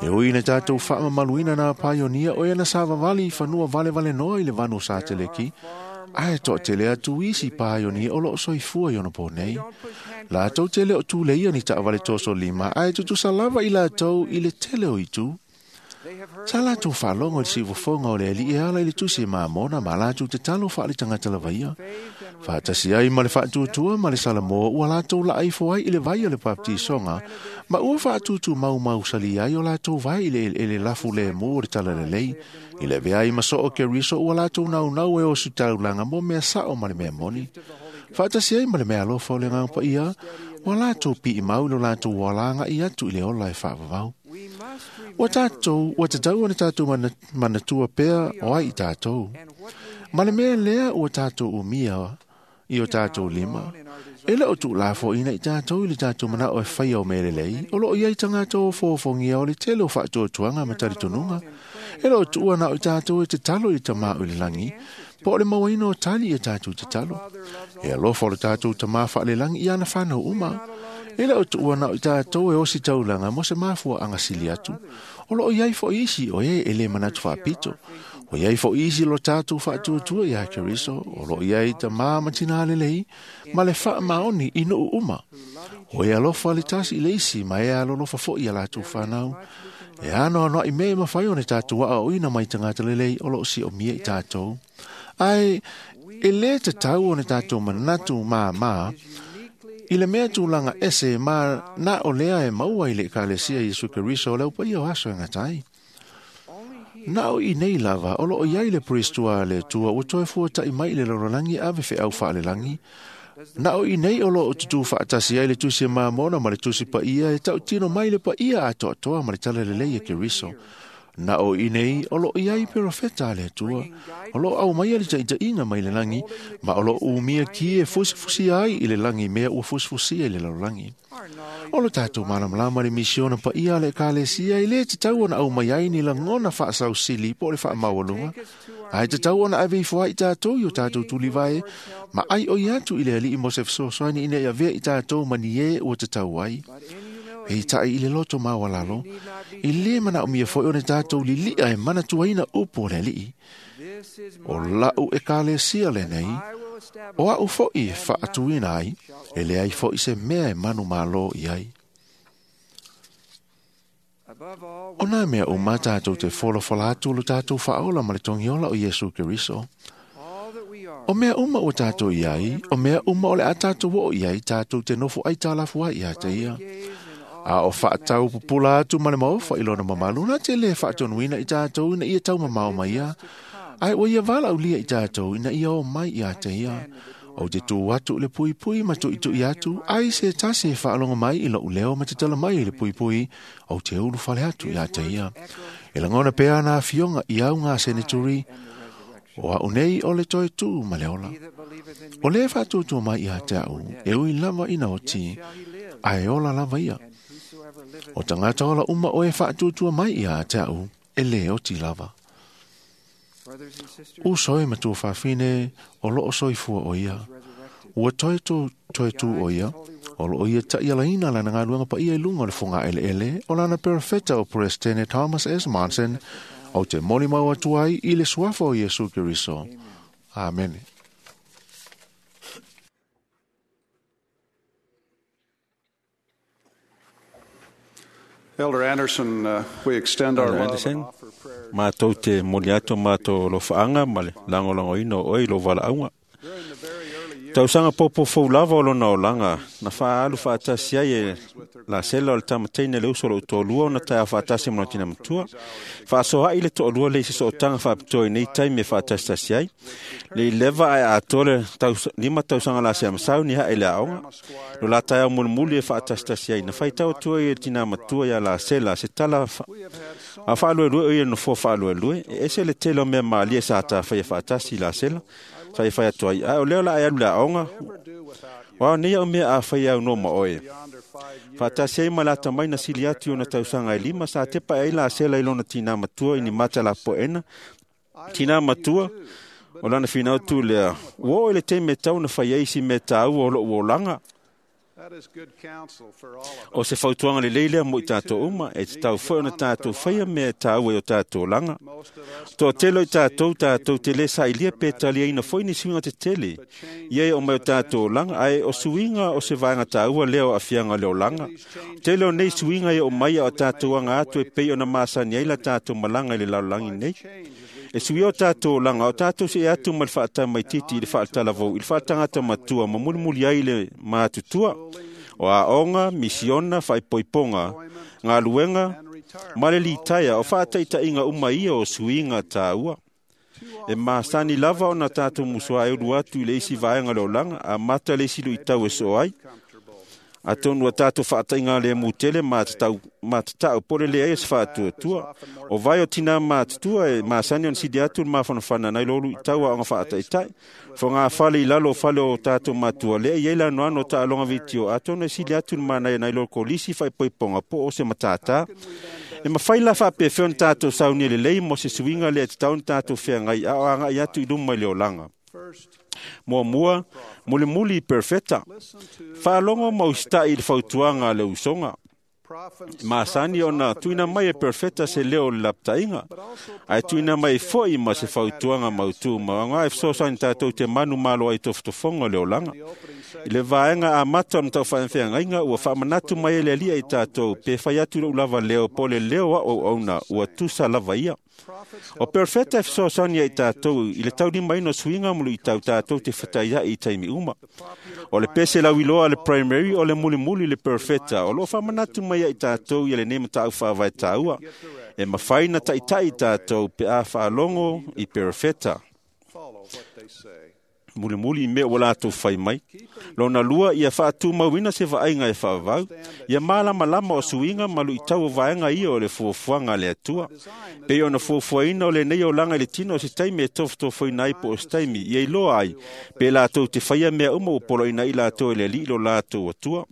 E ui ina tatou faamamaluina nā paionia o e na savavali i fanua valevalenoa i le vanu o Sateleki, ae toatele atu isi paionia o loo soifua i ona po nei. Latou te le o tuleia ni taavale toso lima, ae tutusa lava i latou i le tele o itu. Sa latou faalogo i le siufofoga o le Alii e ala i le tusi Mamona ma latou tatalo faale-tagata lava ia. Faatasi ai ma le faatuatua ma le Salamo ua latou laaifo ai i le vai o le baptisoga, ma ua faatutumaumau-salia ai o latou vai i le eleele lafu lemu o le talalelei. I le avea ai ma soo Keriso ua latou naunau e osi taulaga mo mea sao ma le mea moni. Faatasi ai ma le mea alofa o le Agaga Paia, ua latou piimau i lo latou alaga'i atu i le ola e faavavau. Ua tatou, ua tatau ona tatou manatua pea o ai i tatou. Ma le mea lea ua tatou umia i o tatou lima. E le o tuulafoʻina i tatou i le tatou manao e faia o mea lelei, o loo iai tagata ofoofogia o le tele o faatuatuaga ma talitonuga. E le o tuua na o i tatou e tatalo i le Tamā o i le lagi, po o le mauaina o tali ia tatou tatalo. E alofa o le tatou Tamā faalelagi i ana fanau uma. E le o tuua na o i tatou e osi taulaga mo se mafuaaga sili atu. O loo iai foʻi isi o e e lē manatu faapito. O iai foʻi isi lo tatou faatuatua iā Keriso, o loo iai tamā ma tinā lelei, ma le faamaoni i nuu uma. O e alofa le tasi i le isi ma e alolofa foʻi ia latou fanau. E anoanoaʻi mea e mafai ona tatou aoaoina mai tagata lelei o loo siomia i tatou. Ae e lē tatau ona tatou manatu māmā i le mea tulaga ese ma na o lea e maua i le ekalesia Iesu Keriso o le aupaia o aso e gata ai. Na o i nei lava o loo iai le Priestua a le Atua ua toe fuataʻi mai i le lalolagi ave feau faalelagi. Na o i nei o loo tutū faatasi ai le tusi a Mamona ma le tusi paia e tautino mai le paia atoatoa ma le talalelei e Keriso. Na o i nei o loo iai perofeta a le Atua, o loo aumaia le taʻitaʻiga mai le lagi, ma o loo umia ki e fusifusia ai i le lagi mea ua fusifusia i le lalolagi. O lo tatou malamalama le misiona paia a le ekalesia e lē tatau ona aumai ai ni lagona faasausili po o le faamaualuga, ae tatau ona ave ifo ai i tatou i o tatou tulivae ma ai oi atu i le Alii mo se fesoasoani ina ia avea i tatou ma ni ē ua tatau ai. Peitaʻi i le loto maualalo, e lē manaomia foʻi ona tatou liliʻa e manatuaina upu o le Alii. O la'u ekalesia lenei, o a'u foʻi e faatuina ai, e leai foʻi se mea e manumālō i ai. O nā mea uma tatou te folafola atu lo tatou faaola ma le togiola o Iesu Keriso. O mea uma ua tatou i ai, o mea uma o le a tatou oo i ai, tatou te nofo aitalafu ai iā te ia. A o whaatau pupula atu ma le maofa i lona mamalu na te le whaatonuina i tātou ina ia tau mamao mai ia. Ai o ia wala ulia i tātou ina ia o mai ia te ia. O te tū atu le pui pui ma tui tui atu, ai se tasi e whaalonga mai i lou leo ma te tala mai i le pui pui, o te ulu whale atu ia te ia. E langona pea nā fionga i au ngā seneturi, o au nei o le toi tū ma le ola. O le whaatutu mai ia te au, e ui lava ina o ti, ai ola lava ia. O tangata ola uma o e whaatutua mai ia te au, e le o ti lava. Uso e matua whawhine o loo soifua o ia. Ua toi tū toi tū o ia, o loo ia ta ia laina lana ngā luanga pa ia i lunga o le funga ele ele, o lana perfeta o Presidente Thomas S. Monson, o te moli mau atu ai i le suafa o Iesu Keriso. Amen.
Elder Anderson, we extend our
Elder
love and
Anderson,
offer prayer.
mātou te moli atu mātou lo whaanga ma le langolongoina o oi lo valaauga.
During the very early years
Tausaga popo fou lava o lona olaga, na faaalu faatasi ai e la sela o le tamataina le uso o lou toalua ona taeao faatasi ma lona tina matua. Faasoa'i le toalua le i se sootaga faapitoa i nei taimi e faatasitasi ai. Le ileva ae atoa le 5 tausaga lasea masau ni hae le aoga. Lo la taeao mulimuli e faatasitasi ai. Na faitau atu ai e le tina matua ia Lasela se tala a faaluelue o ia nofoa faaluelue. E ese le tele o mea malie sa tafaia faatasi i Lasela. Sa e fai atu ai. Ae o lea o la e alu le aoga. Wa nei au mea a fai au no ma oe.
yonder 5 years,
Faatasi ai ma le atamai na sili atu i ona tausaga e 5 sa tepa ai Lasela i lona tina matua i ni mata lapoena. Tina matua, o lana finau tu lea. Ua oo i le taimi e tau na fai ai si mea tāua o lou olaga.
that is good counsel for all of us.
O se fautuaga lelei lea mo i tātou uma, e te tau foi ona tātou whaia mea tāua i o tātou olaga.
Most of us
Toa tele o i tātou, tātou te le sa ilia pe talia ina foi ni suinga te tele. Ia e o mai o tātou olaga, ae o suinga o se vaenga tāua lea o afianga le olaga. Tele o nei suinga e o mai o tātou anga atu e pei ona masani ai la tātou malanga i le lalolagi nei. E suia o tātou olaga, o tātou se e atu ma le whaatamaititi i le whaatalavou, i le whaatangata matua, ma mulimuli ai le mātutua. O aoga, misiona, whaipoiponga, ngā luenga, ma le litaia, o whaataitainga uma ia o suinga tāua. E masani lava ona tātou musua e ulu atu i le isi vaenga le olaga, a mata le isi luitau e soo ai. Atonu a tātou whaatainga le mutele ma te tau pole le ai e se whaatuatua. O vai o tina mātutua e masani ona sidi atu le mafanafana nai lolu i tau a onga whaataitai. Fo ngā whale i lalo o whale o tātou matua lea i ei lano ano ta alonga vitio. Atonu e sidi atu le manai nai lolu kolisi whaipoiponga po o se matata. E mawhai la whaapewheo na tātou sauni le lei mo se suinga le te tau na tātou wheangai a o anga i atu i luma i le olanga.
First,
Mua mua, muli muli i perfeta.
listen to
Whaalongo maustai i le fautuaga a le usoga.
prophets.
Masani ona tuina mai e perfeta se leo o le laptainga. Ae tuina mai foi ma se fautuaga mautū ma ngā e fesoasoani tātou te manu malo ai tofotofoga o le olaga. I le vaega amata o le mataufaafeagaiga ua faamanatu mai e le alia i tātou pe fai atu lou lava leo po o le leo a auauna ua tusa lava ia. O perfeta e fesoasoani ai tātou i le taulimaina o suiga ma luitau tātou te fataia'i i taimi uma. O le pese lauiloa a le primary o le mulimuli le perfeta o loo faamanatu mai ai tātou ia lenei mataupu faavae tāua. E mafai na taʻitaʻi tātou pe a faalogo i perfeta.
Follow what they say.
Mulimuli i mea ua latou fai mai. Lona lua ia faatumauina se vaaiga e faavavau. Ia malamalama o suiga ma luitau o vaega ia o le fuafuaga a le Atua. Pei ona fuafuaina o lenei olaga i le tino o se taimi e tofotofoina ai po o se taimi ia iloa ai pe latou te faia mea uma ua poloina ai latou e le Alii lo latou Atua.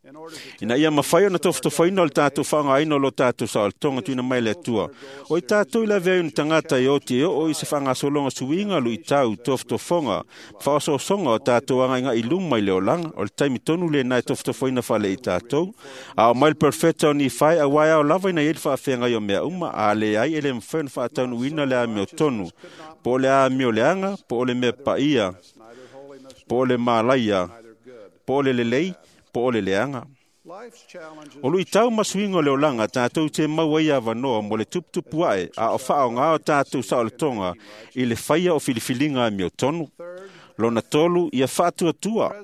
In order to
Ina ia mawhai ona tofotofoina o le tātou whaangaina o lo tātou saolotoga tuina mai le Atua. O i tātou i lavea i tangata e oti e oo i se whangasologa suiga luitau tofotofoga, whaososoga o tātou angainga i luma i le olaga, o le taimi tonu le nai tofotofoina whale i tātou. A o mai le perfecta o ni whai, a wai ao lava ina i le whaafenga i o mea uma, a le ai ele mwhai ona whaataunuina le amio tonu, po o le amio leanga, po o le mea paia,
neither holiness
po o le malaia,
neither good.
po o le lelei, po o le leanga.
Life's challenges
O luitau ma suiga o le olaga tātou te mau ai avanoa mo le tuputupu ae a o faaoga o tātou saolotoga i le faia o filifiliga a miotonu. Lona tolu, ia faatuatua.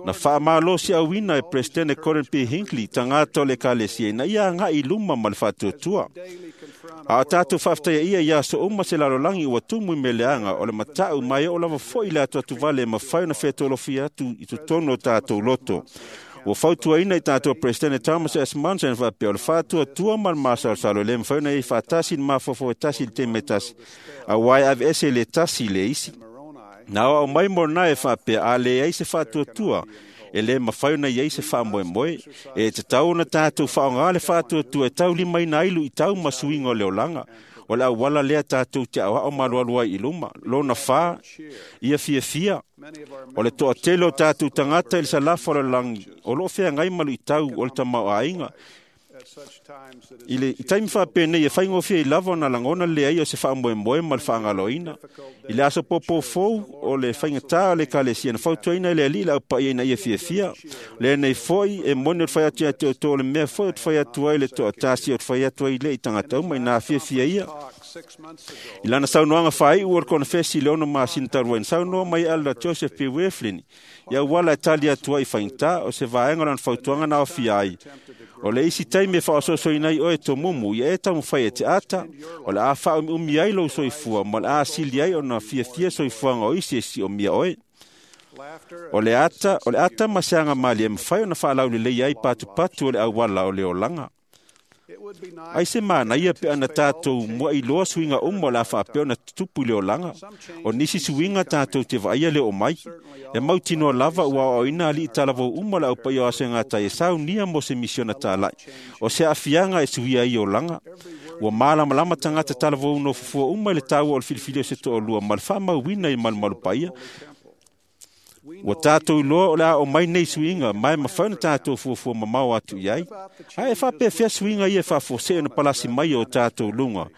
Na faamalosiauina e Peresetene Gordon B. Hinckley tagata o le Ekalesia ina ia agai i luma ma le faatuatua. A o tatou faafetaia ia i aso uma se lalolagi ua tumu i meleaga o le matau ma e oo lava foi le atuatuvale e mafai ona fetolofia atu i totonu o tatou loto. Ua fautuaina i tatou Peresetene Thomas S. Monson faapea o le faatuatua ma le masalosalo e le mafai ona i faatasi i le mafaufau e tasi i le taimi e tasi, auā e aveese le tasi i le isi. Na aoao mai Moroni e faapea a leai se faatuatua, e le mafai ona i ai se faamoemoe. E tatau ona tatou faaaoga le faatuatua e taulimaina ai luitau ma suiga o le olaga. O le auala lea tatou te aoao ma alualu ai i luma. Lona fa, ia fiafia. O le toatele o tatou tagata i le salafa o le lalolagi o loo feagai ma luitau o le tamaoaiga. I le taimi faapenei e faigofie ai lava ona lagona le leai o se faamoemoe ma le faagaloina. I le aso popofou o le faigatā o le Ekalesia na fautuaina e le Alii le aupaia ina ia fiafia. Lenei foi e moni o le fai atu ia te outou o le mea foi o te fai atu ai le toatasi o te fai atu ai le i tagata uma ina fiafia ia. I lana saunoaga faaiu o le konefesi i le 6 masina talu ai, na saunoa mai Elder Joseph P. Wirthlin i auala e tali atu ai i faigata o se vaega o lana fautuaga na aofia ai. O le isi taimi e faaososoina ai oe e tomumu, ia e taumafai e te ata, o le a faaumiumi ai lou soifua ma le a sili ai ona fiafia soifuaga o isi e siomia oe. O le ata ma se agamalie e mafai ona faalaulelei ai patupatu o le auala o le olaga. Ai se manaia pe ana tatou muailoa suiga uma o le a faapea ona tutupu i le olaga. O nisi suiga tatou te vaaia le oo mai. E mautinoa lava ua aoaoina alii talavou uma o le aupaia o aso e gatai e saunia mo se misiona talai. O se aafiaga e suia ai olaga. Ua malamalama tagata talavou nofofua uma i le taua o le filifili o se toalua ma le faamauina i malumalu paia. Ua tatou iloa o le a oo mai nei suiga ma e mafai ona tatou fuafua mamao atu i ai. Ae faapefea suiga ia e faafuasei ona palasi mai o tatou luga.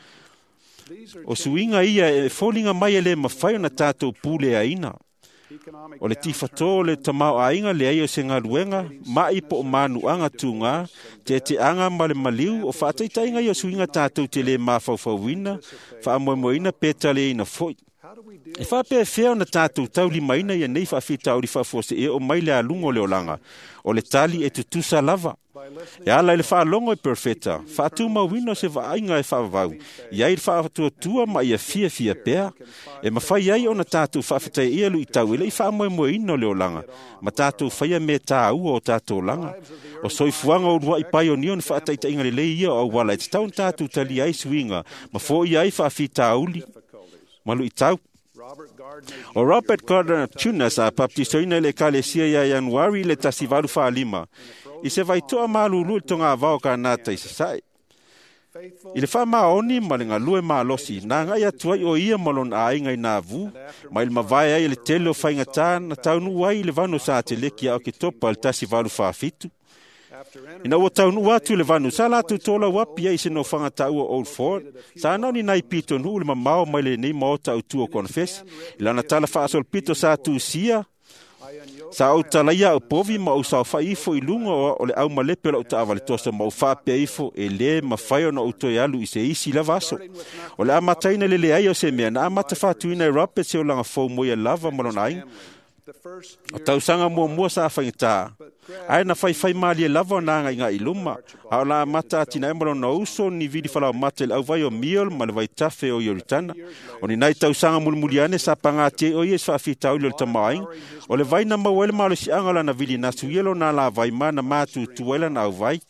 O suiga ia e foliga mai e le mafai ona tatou puleaina. O le tifatō o le tamaoaiga leai o se galuega, mai po o manuaga tugā, teteaga ma le maliu o faataitaiga ia o suiga tatou te le mafaufauina, faamoemoeina pe taliaina foi. E faapefea ona tatou taulimaina ia nei faafitauli faafuasei e oo mai le aluga o le olaga. O le tali e tutusa lava. E ala i le faalogo i perofeta, faatumauina o se vaaiga e faavavau, i ai le faatuatua ma ia fiafia pea. E mafai ai ona tatou faafetaia ia luitau e le i faamoemoeina o le olaga, ma tatou faia mea tāua o tatou olaga. O soifuaga o uluai paionio na faataitaiga lelei ia o auala e tatau ona tatou talia ai suiga, ma foia ai faafitauli ma luitau. O Robert Gardner Jr. sa baptisoina i le Ekalesia ia Ianuari le 1845 i se vaitoa malulu i le togavao o Kanata i Sasae. I le faamaoni ma le galue malosi, na agai atu ai o ia ma lona aiga i Navu, mai le mavae ai le tele o faigata na taunuu ai i le vanu sa teleki ia Oketopa le 1847. Ina ua taunuu atu i le vanu, sa latou tolau api ai i se nofoaga taua Old Fort, sa nao ni nai pitonuu le mamao mai lenei maota autu o konefesi. I lana tala faasolopito sa tusia, sa ou talaia au povi ma ou saofai ifo i luga o le aumalepe o lau taavale toso ma ou faapea ifo e le mafai ona ou toe alu i se isi lava aso. O le amataina le leai o se mea na amata faatuina e Robert se olaga fou mo ia lava ma lona aiga. O tausaga muamua sa faigata, ae na faifai malie lava ona agaigai i luma, a o la amata atinae ma lona uso ni vili falaomata i le auvai o Miol ma le vaitafe o Ioritana. O ni nai tausaga mulimuli ane sa pagatia ai o ia i se faafitauli o le tamaoaiga. O le vai na maua ai le malosiaga o lana vili nasu ia lona alavai ma na matutua ai lana auvai.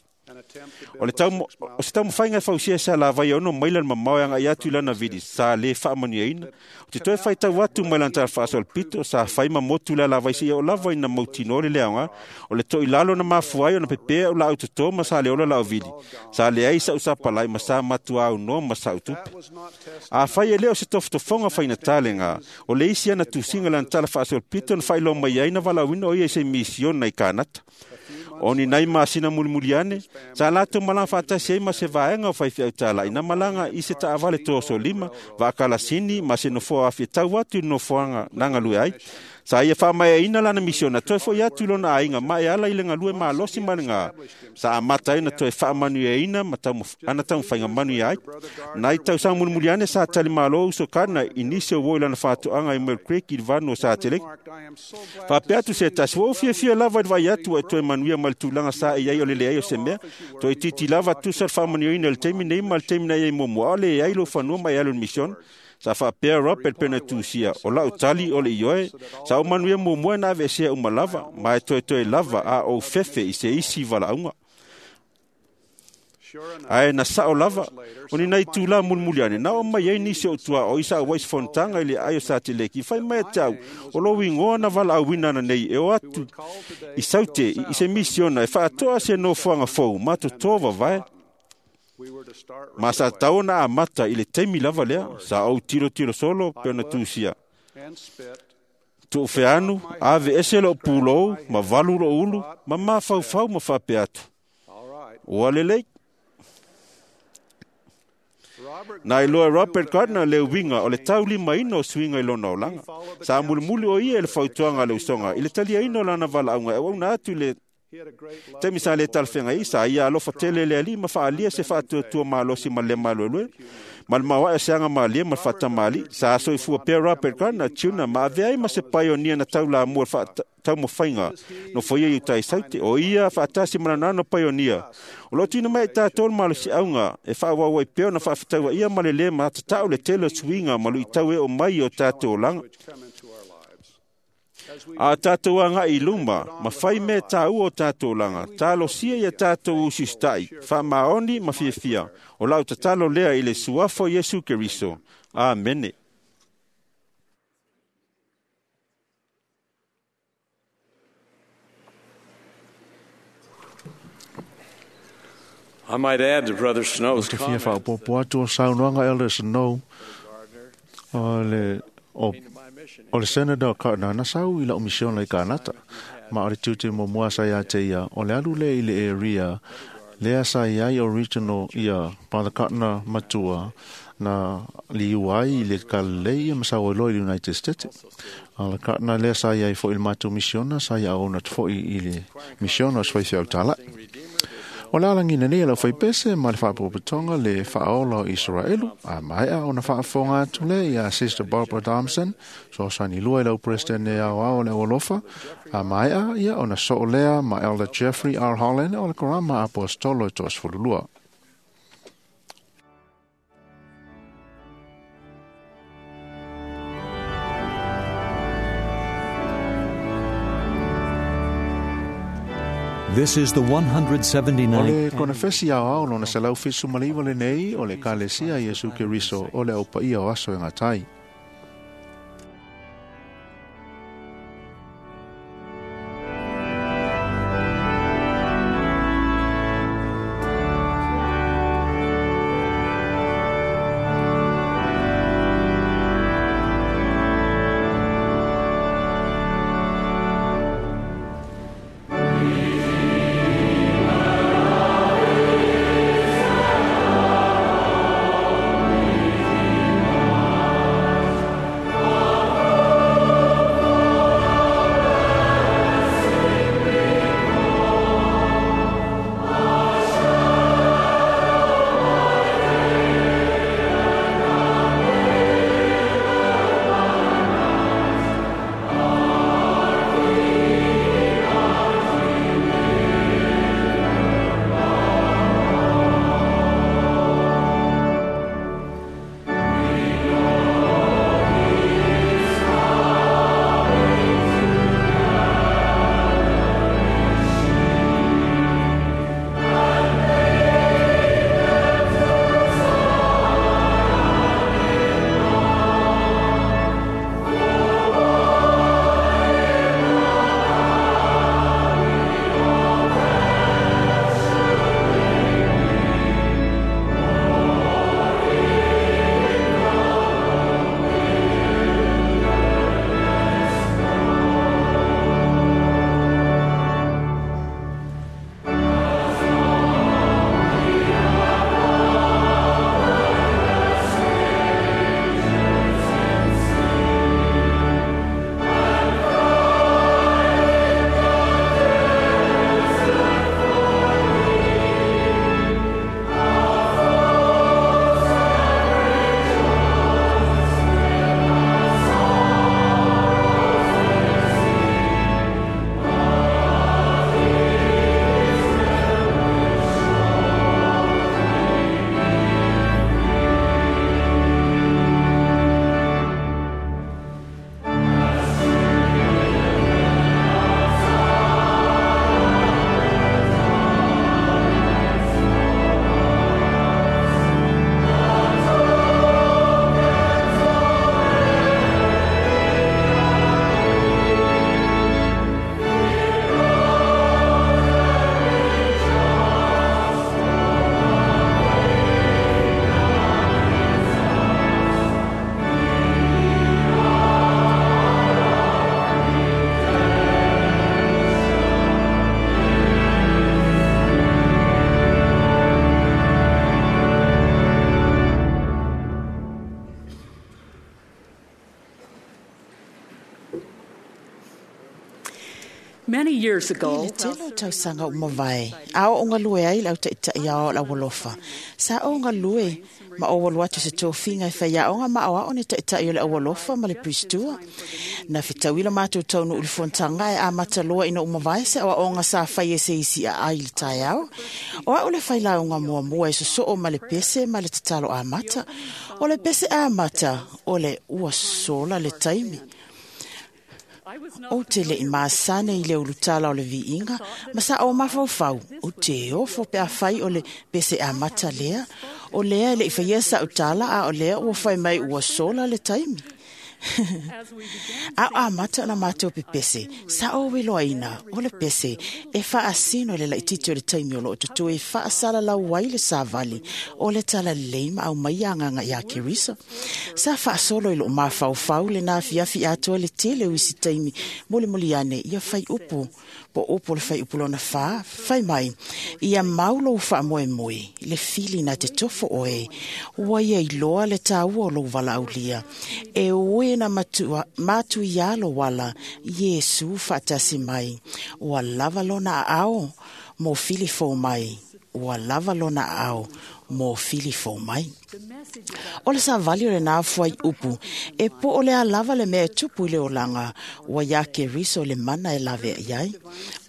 O se taumafaiga e fausia se alavai e ono maila le mamao e agai atu i lana vili sa le faamanuiaina. O te toe faitau atu mai lana tala faasolopito sa fai ma motu le alavai seia oo lava ina mautinoa le leaoga. O le toilalo na mafua ai ona pepea o laau toto ma sa le ola lau vili. Sa leai sau sapalai ma sa matua aunoa ma sau tupe. Afai e le o se tofotofoga faigata lega, o le isi ana tusiga lana tala faasolopito na faailoa mai ai na valaauina o ia i se misiona i Kanata. O ni nai masina mulimuli ane, sa latou malaga faatasi ai ma se vaega o faifeau talai na malaga i se taavale toso lima, vaakalasini ma se nofoa afi e tau atu i le nofoaga na galue ai. Sa ia faamaeaina lana misiona toe fo'i atu i lona aiga ma e ala i le galue malosi ma le gā. Sa amata ai ona toe faamanuiaina ma ana taumafaiga manuia ai. Nai tausaga mulimuli ane sa talimalo uso Gardner i nisi o uo i lana faatoaga i Mill Creek i le vanu o Sateleki. Faapea atu se tasi, ua ou fiafia lava i le vaai atu ua e toe manuia mai le tulaga sa e i ai o le leai o se mea. Toe itiiti lava tusa le faamanuiaina i le taimi nei ma le taimi na i ai muamua, a o leai lou fanua ma e alu i le misiona. Sa faapea Robert pe na tusia, o lau tali o le ioe, sa ou manuia muamua na aveesea uma lava, ma e toetoe lava a ou fefe i se isi valaauga. Ae na sao lava, o ni nai tūlā mulimuli ane, na o mai ai nisi o tua o isa au ai se fonotaga i le ai o Sateleki, fai mai e te au, o lou igoa na valaauina ana nei e o atu i Saute i se misiona e faatoa se nofoaga fou ma totō vavae. Ma sa tatau ona amata i le taimi lava lea, sa ou tilotilo solo pe ona tusia. Tuufeanu, ave ese lou pulou, ma valu lou ulu, ma mafaufau ma faapea atu. Ua lelei. Na iloa e Robert Gardner le uiga o le taulimaina o suiga i lona olaga. Sa mulimuli o ia i le fautuaga a le usoga i le taliaina o lana valaauga e auauna atu i le taimi sa le talafeagai, sa ia alofa tele le alii ma faaalia se faatuatua malosi ma le maluelue ma le maoae o se aga malie ma le faatamāli'i. Sa soifua pea Robert Gardner Jr. ma avea ai ma se paionia na taulamua i le taumafaiga nofoia i uta i Saute. O ia faatasi ma lana ano paionia o loo tuuina mai ai tatou le malosiaga e faaauau ai pea ona faafetauaia ma le lē matatau le tele o suiga ma luitau e oo mai i o tatou olaga. A tatou agai i luma ma fai mea tāua o tatou olaga, talosia ia tatou usiusita'i, faamaoni ma fiafia. O lau tatalo lea i le suafa o Iesu Keriso. Amene.
I might add to Brother Snow's
Ou te fia
comment
faaopoopo atu o saunoaga Elder Snow o le o le Senator Gardner na sau i lau misiona i Kanata. Ma o le tiute muamua sa ia te ia, o le alu lea i le area lea sa i ai original ia Brother Gardner matua na liu ai i le Kalilei ia ma sau ai loa i le United States. A le Gardner lea sa i ai foi i le matou misiona, sa ia auauna atu foi i le misiona o se faifeau tāla'i. O le alagina nei e lau faipese ma le faapotopotoga le faaola o Isaraelu, a maea ona faafofoga atu lea ia Sister Barbara Thompson, fesoasoani lua i lau Peresetene e aoao o le aualofa, a maea ia ona soo lea ma Elder Jeffrey R. Holland o le Korama Aposetolo e 32.
This is the
O
179th
le konefesi aoao lona 179 lenei o le Ekalesia Iesu Keriso o le Au Paia o Aso e Gatai.
Redeemer.
Many years ago,
I le tele o tausaga ua mavae, a oo galue ai le autaitaʻi ao o le aualofa. Sa ou galue ma ou alu atu i se tofiga e faiaoga ma aoao ni taʻitaʻi o le aualofa ma le pristua. Na fetaui le matou taunuu i le fonotaga e amata loa ina ua mavae se aoaoga sa fai e se isi aai i le taeao. O au le failauga muamua e sosoo ma le pese ma le tatalo amata. O le pese amata o le ua sola le taimi. Ou te le i masane i le ulutala o le viiga, ma sa o mafaufau, ou te ofo pe afai o le pese amata lea, o lea e le i faia sau tala a o lea ua fai mai ua sola le taimi. A o amata ona matou pepese, sa ou iloaina o le pese e faasino i le laitiiti o le taimi o loo totoe e faasalalau ai le savali o le talalelei ma aumai agaga iā Keriso. Sa faasolo i loo mafaufau lena afiafi atoa le tele o isi taimi molimoli ane ia fai upu po o upu o le fai upu lona 4, fai mai, ia mau lou faamoemoe, le fili na te tofo oe, ua ia iloa le taua o lou valaaulia, e oe na matu ia lou ala, Iesu faatasi mai, ua lava lona aao mo fili fou mai, ua lava lona aao mo fili fou mai. O le savali o lena fuai upu, e po o lea lava le mea e tupu i le olaga, ua iā Keriso le mana e lavea i ai.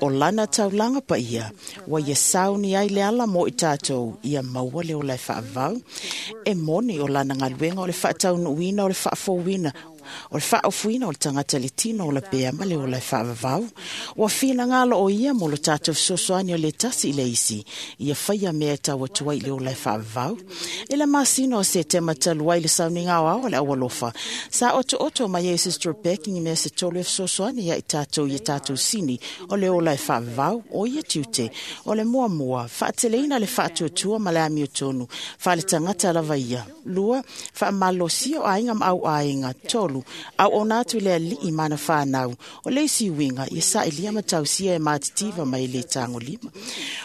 O lana taulaga paia, ua ia sauni ai le ala mo i tatou, ia maua le ola e faavavau. E moni o lana galuega o le faataunuuina o le faafouina, o le faaofuina o le tagata i le tino o lapea ma le ola e faavavau. Ua finagalo o ia mo lo tatou fesoasoani o le tasi i le isi, ia faia mea e tau atu ai i le ola e faavavau. I le masina o Setema talu ai le sauniga aoao o le aualofa, sa otooto mai ai Sister Becky i mea se tolu e fesoasoani ia i tatou i tatou sini o le ola e faavavau, o ia tiute, o le muamua, faateleina le faatuatua ma le amiotonu, faaletagata lava ia. 2, faamalosia o aiga ma au aiga. 3, auauna atu i le alii ma ana whanau, o le isi uiga ia saʻilia ma tausia e matitiva mai le tagolima.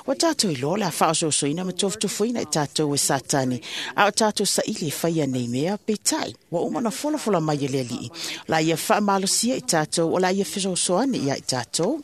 Ua tatou iloa le a faaosoosoina ma tofutofuina i tatou e Satani, a o tatou saili e faia nei mea, peitai, ua uma ona folafola mai e le alii, o la ia faamalosia i tatou, o la ia fesoasoani ia i tatou.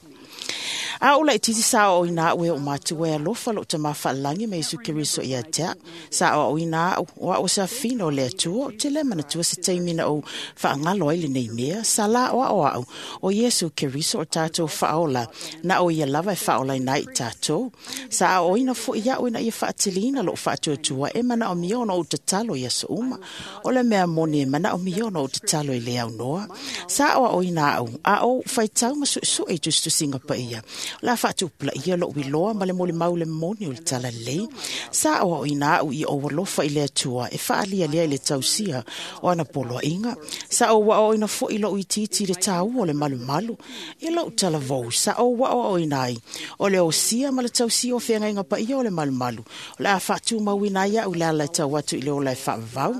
A o laitiiti sa aoaoina au e oo matua e alofa lou tamā faalagi ma Iesu Keriso ia te au. Sa aoaoina au, o au o se afina o le Atua, ou te le manatua se taimi na ou faagalo ai lenei mea, sa la aoao au, o Iesu Keriso o tatou faaola, na o ia lava e faaolaina ai i tatou. Sa aoaoina foi au ina ia faateleina lou faatuatua e manaomia ona ou tatalo i aso uma. O le mea moni e manaomia ona ou tatalo i le aunoa. Sa aoaoina au, a ou faitau ma suesue i tusitusiga paia. La faatupulaia lou iloa ma le molimau le moni o le talalelei. Sa aoaoina au i ou alofa i le Atua e faalialia i le tausia o ana poloaiga. Sa ou aoaoina foi lou itiiti i le taua o le malumalu. I lou talavou, sa ou aoaoina ai o le osia ma le tausia o feagaiga paia o le malumalu. O le a faatumauina ai au i le ala e tau atu i le ola e faavavau.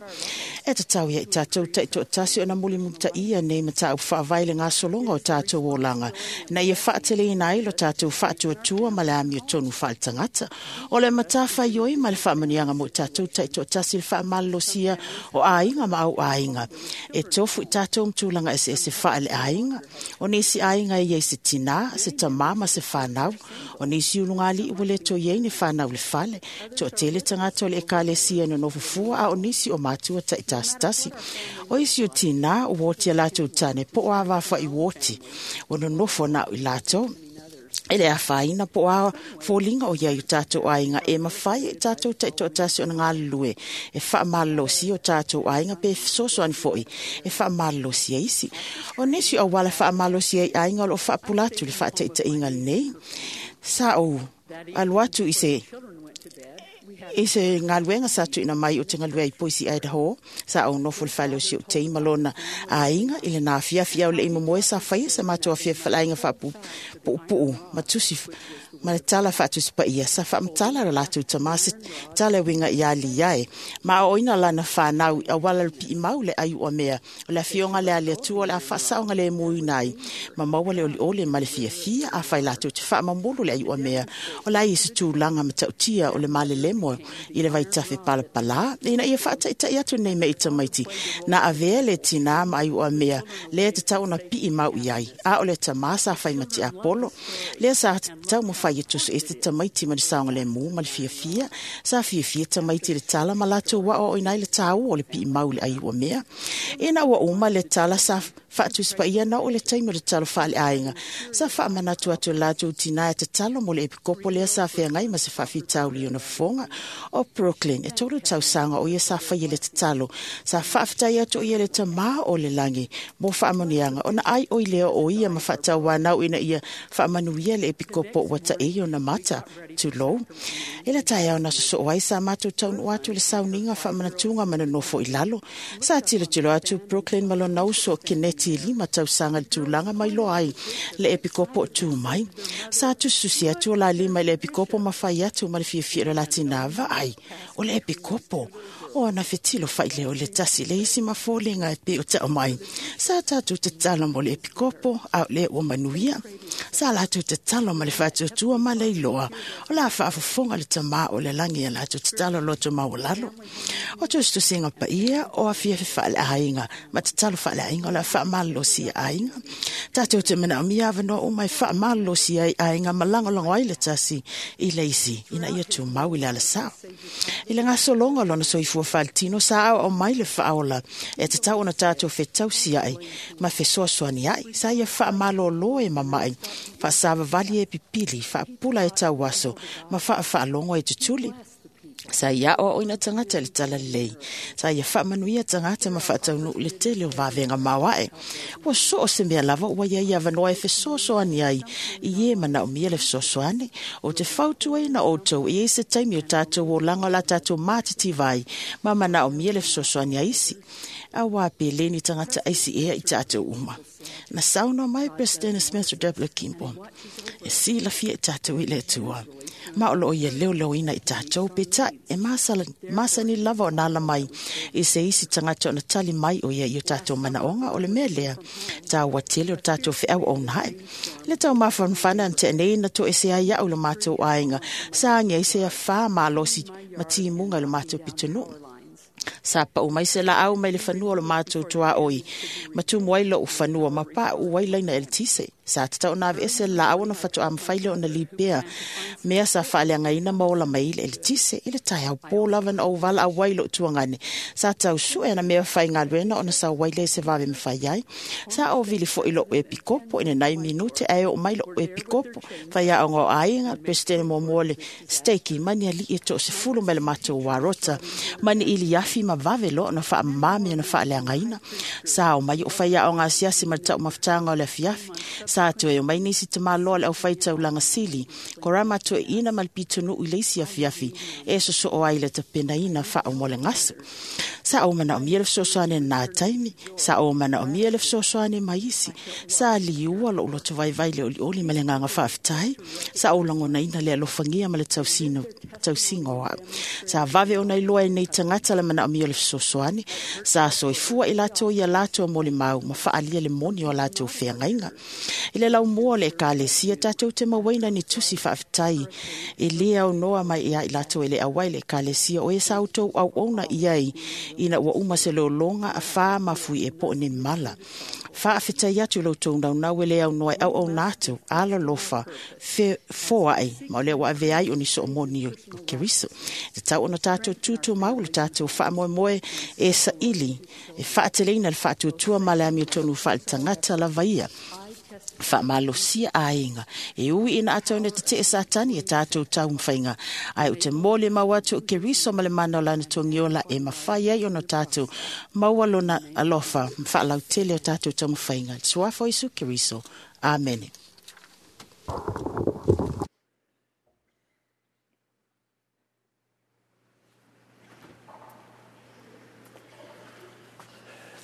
E tatau ia i tatou taitoatasi ona mulimulitaia nei mataupu faavae i le gasologa o tatou olaga, na ia faateleina ai lo tatou faatuatua ma le amiotonu faaletagata. O le matafaioi ma le faamanuiaga mo i tatou taitoatasi le faamalolosia o aiga ma au aiga. E tofu i tatou ma tulaga eseese faaleaiga. O nisi aiga e iai se tinā, se tamā ma se whanau. O nisi ulugalii ua le toe iai ni whanau i le fale. Toatele tagata o le ekalesia e nonofo fua, a o nisi o matua ta'itasitasi. O isi o tinā ua oti a latou tane po o avafa'i ua oti, ua nonofo na o i latou. E le afaina po o a foliga o iai o tatou aiga e mafai e tatou taitoatasi ona galulue e faamalolosia o tatou aiga pe fesoasoani foi e faamalolosia isi. O nisi o auala faamalosia ai aiga o loo faapula atu le faataitaiga lenei. Sa ou alu atu i se galuega sa tuuina mai o te galue ai Boise, Idaho. Sa ou nofo i le fale o si ou tei ma lona aiga i lena afiafi ao le i momoe sa faia sa matou afiafi faleaiga faapuupuu ma tusi Ma le tala faatusipaia sa faamatala lo latou tamā se tala e uiga iā Liae ma aoaoina lana fanau auala le piimau le ai ua mea o le afioga le ale Atua o le a faasaoga lemuina ai ma maua le olioli ma le fiafia afai latou te faamamulu le ai ua mea o la i se tulaga matautia o le malelemo i le vaitafe palapalā ina ia faataitai atu nei mea i tamaiti na avea le tinā ma ai ua mea lea tatau ona pii mau i ai a o le tamā sa fai ma tiapolo lea sa taumafai e tusu ese tamaiti ma le saogalemu ma le fiafia. Sa fiafia tamaiti i le tala ma latou aoaoina ai le tāua o le piimau i le ai ua mea. Ina ua uma le tala sa faatusipaia na oo i le taimi o le talo faaleaiga. Sa faamanatu atu e latou tinā e tatalo mo le epikopo lea sa feagai ma se faafitauli i ona fofoga o Brooklyn. E 3 tausaga o ia sa faia le tatalo. Sa faafetai atu o ia i le tamā o le lagi mo faamanuiaga ona ai oi lea o ia ma faatauanau ina ia faamanuia le epikopo ua taei ona mata. Tulou. I le taeao na sosoo ai sa matou taunuu atu i le sauniga faamanatuga ma nonofo i lalo. Sa tilotilo atu Brooklyn ma lona uso o Keneti e 5 tausaga i le tulaga mai loa ai le epikopo o tu mai. Sa tusitusi atu o la lima i le epikopo ma fai atu ma le fiafia i le latina vaai o le epikopo. O ana fetilo faileo i le tasi le isi ma foliga e pei o tau mai. Sa tatou tatalo mo le epikopo a o lea ua manuia. Sa latou tatalo ma le faatuatua ma le iloa o la faafofoga le tamā o le lagi ia latou tatalo loto maualalo. O tusitusiga paia o afiafi faaleaiga ma tatalo faaleaiga o le a faamalolosi ia aiga. Tatou te manaomia avanoa uma e faamalolosi ai aiga ma lagolago ai le tasi i le isi ina ia tumau i le alasao. I le gasologa o lona soifua faletino sa aoao mai le faaola e tatau ona tatou fetausi ai ma fesoasoani ai. Sa ia faamalōlō e mama'i, faasavavali e pipili, faapula e tauaso ma faafaalogo e tutuli. Sa ia aoaoina tagata i le talalelei. Sa ia faamanuia tagata ma faataunuu i le tele o vavega maoae. Ua soo se mea lava ua ia i avanoa e fesoasoani ai i e manaomia le fesoasoani. O te fautuaina outou e i ai se taimi o tatou olaga o la tatou matitiva ai ma manaomia le fesoasoani a isi. Auā pe le ni tagata aisi ea i tatou uma. Na saunoa mai Peresetene Spencer W. Kimball, e silafia i tatou i le Atua. Ma o loo ia leoleoina i tatou peitai e masani lava ona ala mai i se isi tagata ona tali mai o ia i o tatou manaoga. O le mea lea taua tele o tatou feauaunae. Le tau mafanafana na tea nei na toese ai au i lo matou aiga. Sa agi ai se afā malosi ma timuga i lo matou pitonuu. Sa pau mai se laau mai le fanua o lo matou tuaoi. Ma tumu ai lou fanua ma pauu ai laina eletise. Sa tatau ona aveese le laau ona faatoa mafai lea ona lipea mea sa faaleagaina ma ola mai i le eletise. I le taeao pō lava na ou valaau ai i lou tuagane. Sa tau sue ana mea faigaluega ona sau ai lea i se vave mafai ai. Sa ou vili foi i lou epikopo i lenai minute ae oo mai lou epikopo. Faiaoga o aiga, Peresetene muamua o le Steiki ma ni alii e 30 mai le matou warota ma ni iliafi ma vave loa ona faamamā mea na faaleagaina. Sa o mai o faiaoga asiasi ma le taumafataga o le afiafi. Sa toe o mai nisi tamaloa le aufai taulaga sili, korama toeaina ma le pitonuu i le isi afiafi e sosoo ai i le tapenaina faauma o le gaso. Sa ou manaomia le fesoasoani i lena taimi, sa ou manaomia le fesoasoani mai isi. Sa liua lou loto vaivai i le olioli ma le agaga faafetai. Sa ou lagonaina le alofagia ma le tausiga o au. Sa vave ona iloa e nei tagata le manaomia o le fesoasoani. Sa soifua i latou ia latou molimau ma faaalia le moni o latou feagaiga. I le laumua o le ekalesia, tatou te mauaina ni tusi faafetai e lē aunoa mai ia i latou e le auai i le ekalesia o e sa outou auauna i ai ina ua uma se lologa afā ma fui e po o ni mala. Faafetai atu i lo outou naunau e le aunoa e auauna atu, alolofa, foai, ma o lea ua avea ai o ni soomoni o Keriso. E tatau ona tatou tutumau le tatou faamoemoe e saili, e faateleina le faatuatua ma le amiotonu faaletagata lava ia. Faamalosia aiga e ui ina atonu e tetee Satani e tatou taumafaiga, ae ou te molimau atu o Keriso ma le mana o lana togiola e mafai ai ona tatou maua lona alofa ma faalautele o tatou taumafaiga. Le suafa o Iesu Keriso. Amene.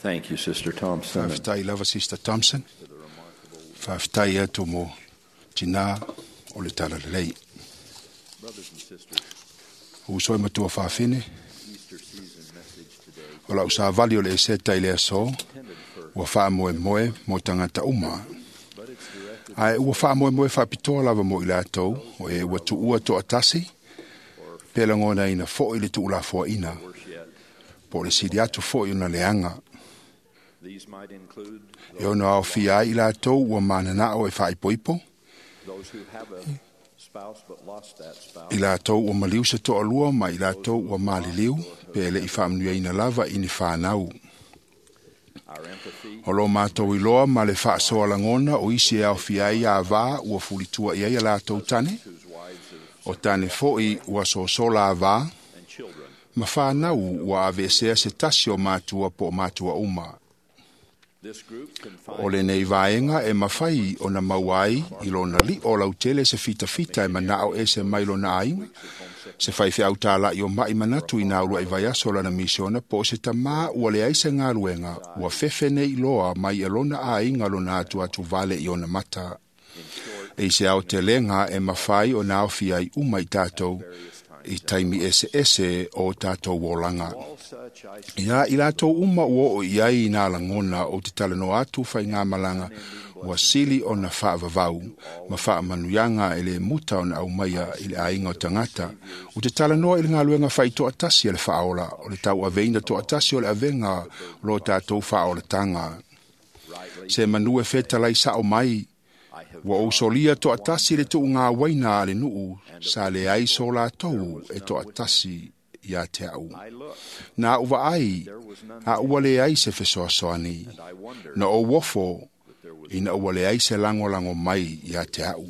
Thank you, Sister Thompson.
Faafetai lava, Sister Thompson. Faafetai atu mo tinā o le Talalelei. Uso e matua faafine, o lau savali o le eseta i le aso, ua faamoemoe mo tagata uma. Ae ua faamoemoe faapitoa lava mo i latou, o e ua tuua toatasi, pe lagonaina foi le tuulafoaina, po o le sili atu foi ona leaga. E ono aofia ai i latou ua mananao e faaipoipo, i latou ua maliu se toalua ma i latou ua maliliu pe le i faamanuiaina lava i ni fanau. O lo matou iloa ma le faasoa lagona o isi e aofia ai avā ua fulitua i ai a latou tane, o tane foi ua sosola avā, ma fanau ua aveesea se tasi o matua po o matua uma. O lenei vaega e mafai ona maua ai i lona li'o lautele se fitafita e manao ese mai lona aiga, se faifeau tāla'i o ma'i manatu i nā ulua'i vaiaso o lana misiona po o se tamā ua leai se galuega ua fefe nei loa mai e lona aiga lona atuatu vale i ona mata. E i se aotelega e mafai ona aofia ai uma i tatou i taimi eseese o tatou olaga. Ia i latou uma ua oo i ai i nā lagona o te talanoa atu faigamalaga ua sili ona faavavau ma faamanuiaga e le muta ona aumaia i le aiga o tagata. O te talanoa i le galuega faitoatasi a le faaola, o le tauaveina toatasi o le avega o lo tatou faaolataga. Se manu e fetalai sao mai, ua ou solia toatasi le tuugauaina a le nuu sa leai so latou e toatasi ia te au. Na ou vaai, a ua leai se fesoasoani. Na ou ofo, ina ua leai se lagolago mai ia te au.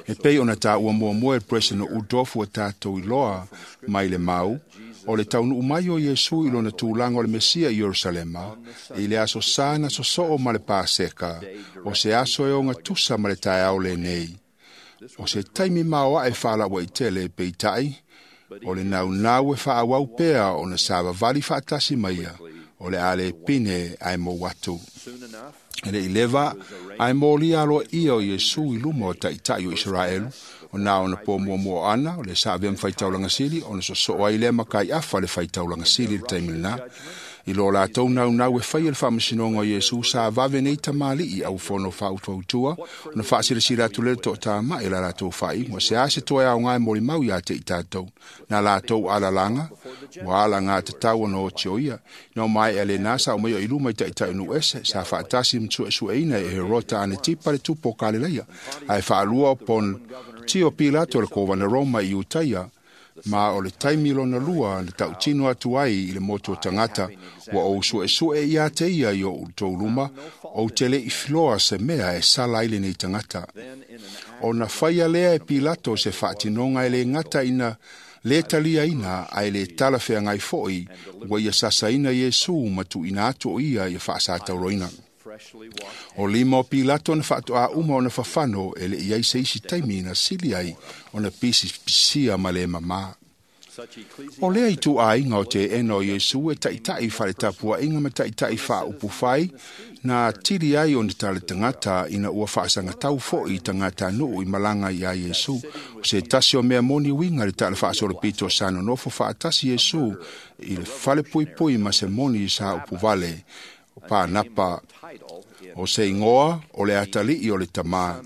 E pei ona taua muamua e le President Uchtdorf ua tatou iloa mai le mau, o le taunuu mai o Iesu i lona tulaga o le Mesia i Ierusalema, i le aso sa na sosoo ma le Paseka, o se aso e ogatusa ma le taeao lenei. O se taimi maoae faalauaitele peitai, o le naunau e faaauau pea ona savavali faatasi maia, o le a le pine ae mou atu. E le i leva, ae molia aloaia o Iesu i luma o taitai o Isaraelu, o na ona po muamua ana, o le sa avea ma faitaulaga sili, ona sosoo ai lea ma Kaiafa le faitaulaga sili i le taimi lena. I lo latou naunau e faia le faamasinoga o Iesu sa vave nei tamalii au fono faautuautua, ona faasilasila atu lea le toatama'i la latou faaiuga. Se a se toe aoga e molimau ia te i tatou, na latou alalaga, ua alaga tatau ona oti o ia. Na o maea lena sa o mai o i luma i taitai o nuu ese, sa faatasi ma suesueina e Herota Anetipa le tupu o Kalilaia, ae faalua o Pontio Pilato le kovana Roma i Iutaia, ma o le taimi lona lua na tautino atu ai i le motu o tagata, ua ou suesue ia te ia i o outou luma, ou te le i filoa se mea e sala ai lenei tagata. Ona faia lea e Pilato se faatinoga e le gata ina le taliaina ae le talafeagai foi, ua ia sasaina Iesu ma tuuina atu o ia ia faasatauroina. O lima o Pilato na faatoa uma ona fafano e le i ai se isi taimi na sili ai ona pisipisia ma le mamā. O lea i tuaiga o te ena o Iesu e taitai whaletapuainga ma taitai whaupufai na tili ai o ni tale tangata ina ua whaasangatau foi i tangata nuu i malanga i a Iesu. O se tasi o mea moni winga le tala whaasolopito sa nonofo whaatasi Iesu i le whale pui pui ma se moni sa upuvale. O pānapa o se ingoa o le atalii o le tamā.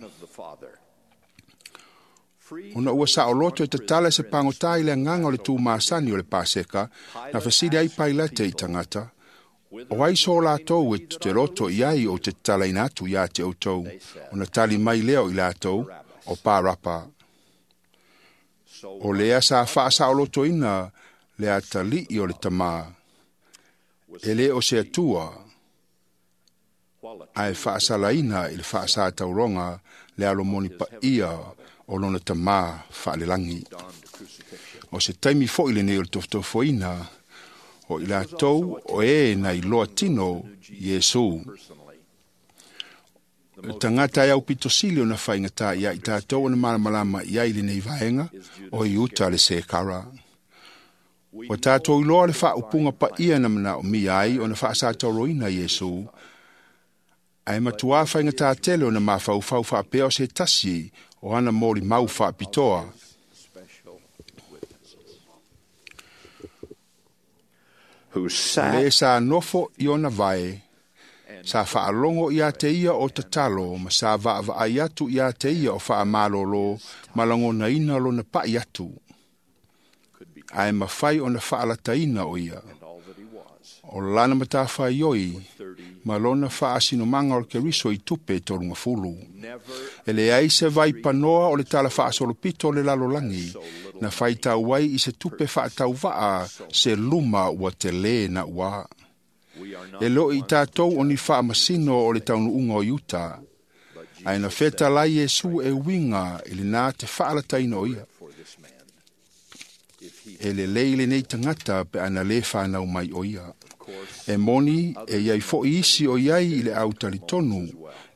Ona ua saoloto e tatala se pagotā i le agaga o le tumasani o le Paseka, na fesili ai Pailate i tagata, o ai so latou e te loto i ai o te tatalaina atu ia te outou, ona tali mai lea o i latou, o Parapa. O lea sa faasaolotoina le atalii o le tamā, e le o se Atua, ae faasalaina i le faasatauroga le alomoni paia o lona tamā faalelagi. O se taimi foi lenei o le tofotofoina o i latou o e na iloa tino Iesu. O tagata e aupito sili ona faigata ia i tatou ona malamalama i ai lenei vaega o Iuta le Sekara. Ua tatou iloa le faaupuga paia na manaomia ai ona faasatauroina Iesu, Ae matuā faigata tele ona mafaufau faapea o se tasi o ana molimau faapitoa.
Who sat
Le sa nofo i ona vae, sa faalogo ia te ia o tatalo ma sa vaavaai atu ia te ia o faamalolo ma lagonaina lona pa'i atu. Ae mafai ona faalataina o ia. O lana matafaioi ma lona faasinomaga o le Keriso i tupe 30. E leai se vaipanoa o le tala faasolopito o le lalolagi na faitau ai i se tupe faatauvaa se luma ua telē na uā. E loo i tatou o ni faamasino o le taunuuga o Iuta, ae na fetalai Iesu e uiga i lenā te faalataina o ia. E lelei lenei tagata pe ana lē fanau mai o ia. E moni e iai fo'i isi o iai i le au talitonu,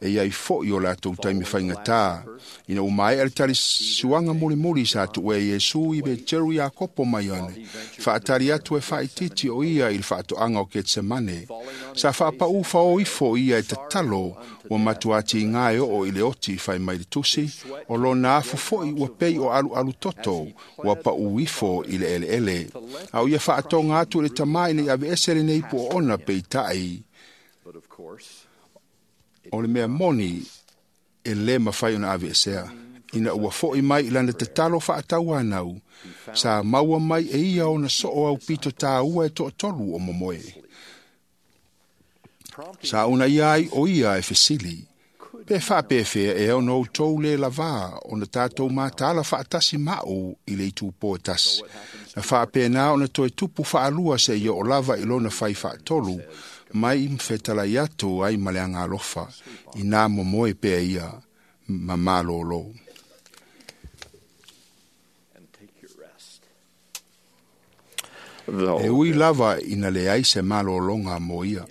e iai fo'i o latou taimi faigatā. Ina ua maea le talisuaga mulimuli sa tu'ua e Iesu i Peteru Iakopo ma Ioane, faatali atu e faaitiiti o ia i le faatoaga o Ketsemane. Sa faapa'ū faō ifo ia e tatalo ua matuā tigā e oo i le oti fai mai le tusi, o lona afu fo'i ua pei o alualu toto ua pa'ū ifo i le eleele. A o ia faatoga atu i le tamā ina ia aveese lenei puoona peita'i. O le mea moni e lē mafai ona aveesea. Ina ua fo'i mai i lana tatalo faatauanau, sa maua mai e ia ona soo aupito tāua e toatolu o momoe. Sa una ia ai o ia e fesili, pe faapefea ea ona outou lē lavā ona tatou mataala faatasi ma'u i le itupō e tasi. Na faapena ona toe tupu faalua seia oo lava i lona fai faatolu mai ma fetalai atu ai ma le agalofa, inā momoe pea ia ma malōlō. E ui lava ina leai se malōlōga mo ia.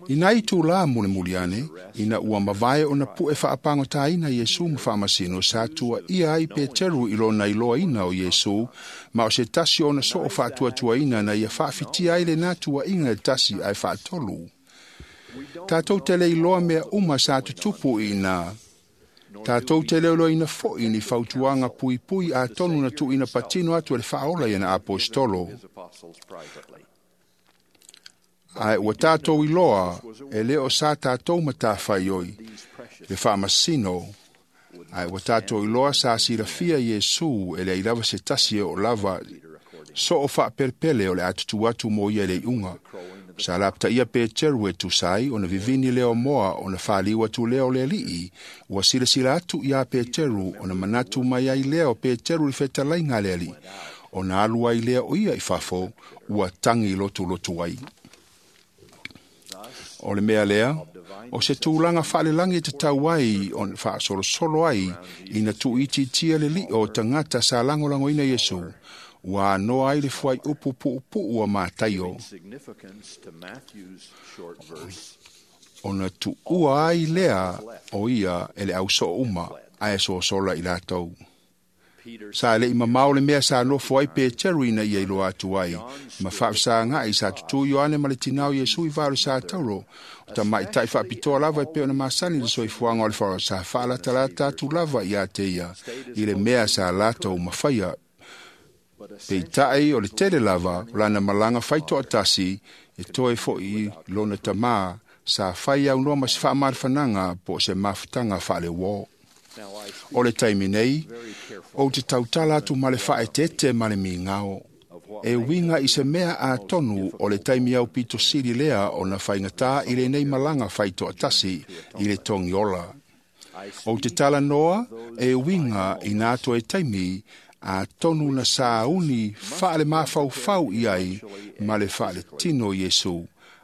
Ina itulā mulimuli ane, ina ua mavae ona pu'e faapagotāina Iesu ma faamasino sa tuaia ai Peteru i lona iloaina o Iesu, ma o se tasi ona soo faatuatuaina na ia faafitia ai lenā tuaʻiga e tasi ae faatolu. Tatou te le iloa mea uma sa tutupu i inā. Tatou te leoloina fo'i ni fautuaga puipui atonu na tuuina patino atu e le faaola i ana aposetolo. Ae ua tatou iloa e lē o sa tatou matafaioi le faamasino, ae ua tatou iloa sa silafia Iesu e leai lava se tasi e oo lava soo faapelepele o le a tutū atu mo ia i le iʻuga. Sa lapataia Peteru e tusa ai ona vivini lea o moa ona faliu atu lea o le alii, ua silasila atu iā Peteru ona manatu mai ai lea o Peteru i le fetalaiga a le alii, ona alu ai lea o ia i fafo ua tagi lotulotu ai. O le mea lea, o se tulaga faalelagi e tatau ai ona faasolosolo ai ina tuuitiitia le liʻo o tagata sa lagolagoina Iesu, ua anoa ai le fuaiupu puupuu a Mataio. Ona tuua ai lea o ia e le ausoo uma, ae sosola i latou. Sa leʻi mamao le mea sa nofo ai Peteru ina ia iloa atu ai, ma faafesagaʻi sa tutū Ioane ma le tinā o Iesu i va o le sa tauro. O tamaʻitaʻi faapitoa lava e pei ona masani le soifuaga o le faaola sa faalatalata atu lava iā te ia i le mea sa latou mafaia. Peitaʻi o le tele lava o lana malaga faitoatasi e toe foʻi lona tamā sa fai aunoa ma se faamalafanaga po o se mafutaga faaleuō. O le taimi nei, ou te tautala atu ma le faaeteete ma le migao. E uiga i se mea atonu o le taimi aupito sili lea ona faigatā i lenei malaga faitoatasi i le togiola. Ou te talanoa e uiga i nā toe taimi atonu na sauni faalemafaufau i ai ma le faaletino Iesu,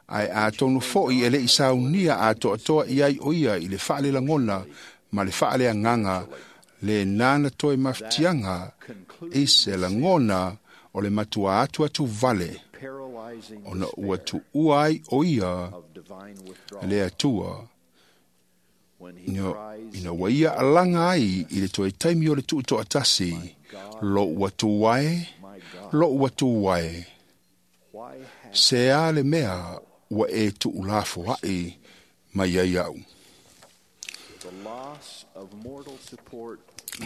ae atonu foʻi e leʻi saunia atoatoa i ai o ia i le faalelagona ma le faaleagaga lenā na toe mafatiaga i se lagona o le matuā atu atu vale ona ua tuua ai o ia le Atua ina ua ia alaga ai i le toe taimi o le tuutoatasi, loʻu atu ae, loʻu atu ae. Se a le mea ua e tuulafoaʻi mai ai aʻu.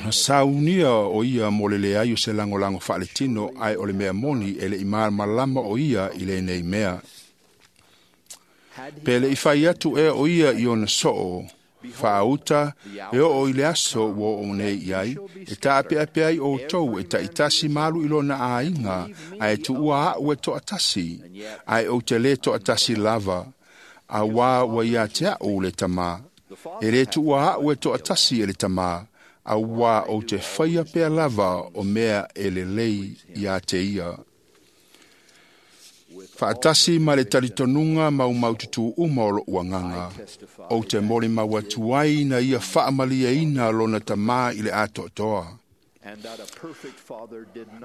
Na saunia o ia mo le leai o se lagolago faaletino, ae o le mea moni e leʻi malamalama o ia i lenei mea. Pe leʻi fai atu ea o ia i ona soo, faauta e oo i le aso ua oo nei i ai, e taapeape ai outou e taitasi malu i lona aiga, ae tuua aʻu e toatasi, ae ou te lē toatasi lava, auā ua ia te aʻu le Tamā. E lē tuua aʻu e toatasi e le Tamā, auā ou te faia pea lava o mea e lelei iā te ia. Faatasi ma le talitonuga maumaututu uma o loʻu agaga, ou te molimau atu ai na ia faamalieina lona Tamā i le atoatoa.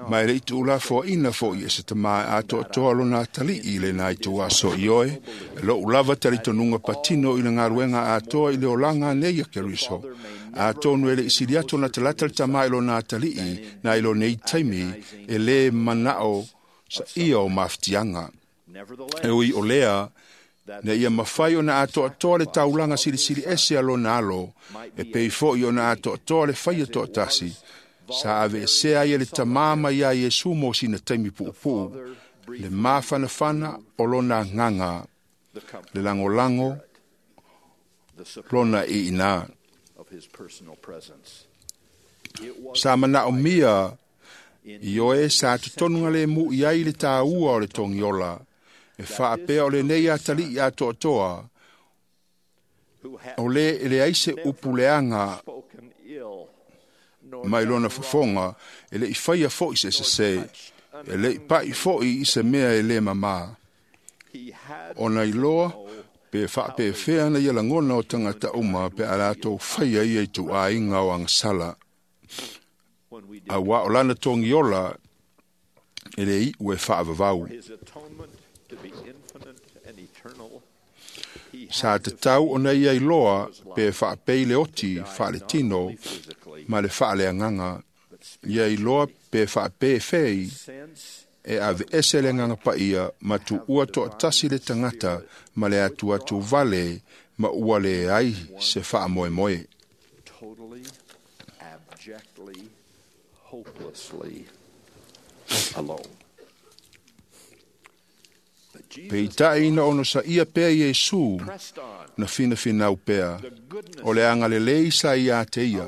Ma e leʻi tuulafoaʻina foʻi e se Tamā e atoatoa lona atalii i lena ituaso i oe, e loʻu lava talitonuga patino i le galuega atoa i le olaga nei a Keriso. Atonu e leʻi sili atu ona talata le Tamā i lona atalii na i lonei taimi e lē manaʻo sa ia o mafatiaga. E ui o lea, na ia mafai ona atoatoa le taulaga silisili ese a lona alo, e pei foʻi ona atoatoa le faia toatasi, sa aveesea ai e le Tamā mai iā Iesu mo sina taimi puupuu, le mafanafana o lona agaga, le lagolago lona iinā. Sa manaʻomia i oe sa totonuga le mu i ai le tāua o le togiola, e faapea o lenei atalii atoatoa, o lē e leai se upu leaga mai lona fofoga, e leʻi faia foʻi se sesē, e leʻi paʻi foʻi i se mea e lē mamā. Ona iloa pe faapefea na ia lagona o tagata uma pe a latou faia ia i tuuaiga o agasala. Auā o lana togiola e lē iʻu e faavavau. Sa tatau ona ia iloa pe faapei le oti faaletino ma le faaleagaga. Ia iloa pe faapefei e aveese le agaga paia ma tuua toatasi le tagata ma le atuatu vale ma ua leai se faamoemoe. Peitai na onosaia pea Iesu na finafinau pea, o le agalelei sa iā te ia,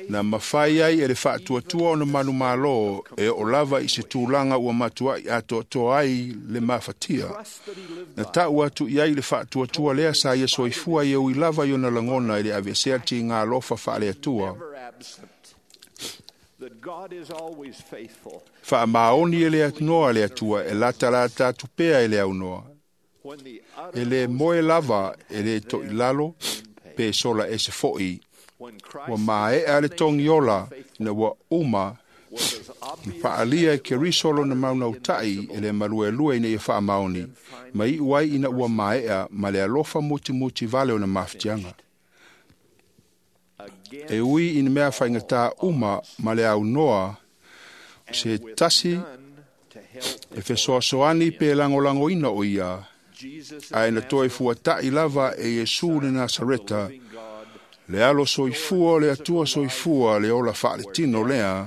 na mafai ai e le faatuatua ona manumalo e oo lava i se tulaga ua matuaʻi atoatoa ai le mafatia. Na taʻu atu i ai le faatuatua lea sa ia soifua e ui lava i ona lagona i le aveesea tiga alofa faaleatua. Faamaoni e le atoa le Atua e latalata atu pea e le aunoa. E lē moe lava e lē toʻilalo pe sola ese foʻi. Ua maeʻa le togiola ina ua uma na faaalia e Keriso lona maunautaʻi e le maluelue ina ia faamaoni, ma iʻu ai ina ua maeʻa ma le alofa mutimuti vale ona mafatiaga. E ui i ni mea faigata uma ma le aunoa, se tasi e fesoasoani pe lagolagoina o ia, ae na toe fuataʻi lava e Iesu le Nasareta, le alo soifua o le Atua soifua le ola faaletino lea,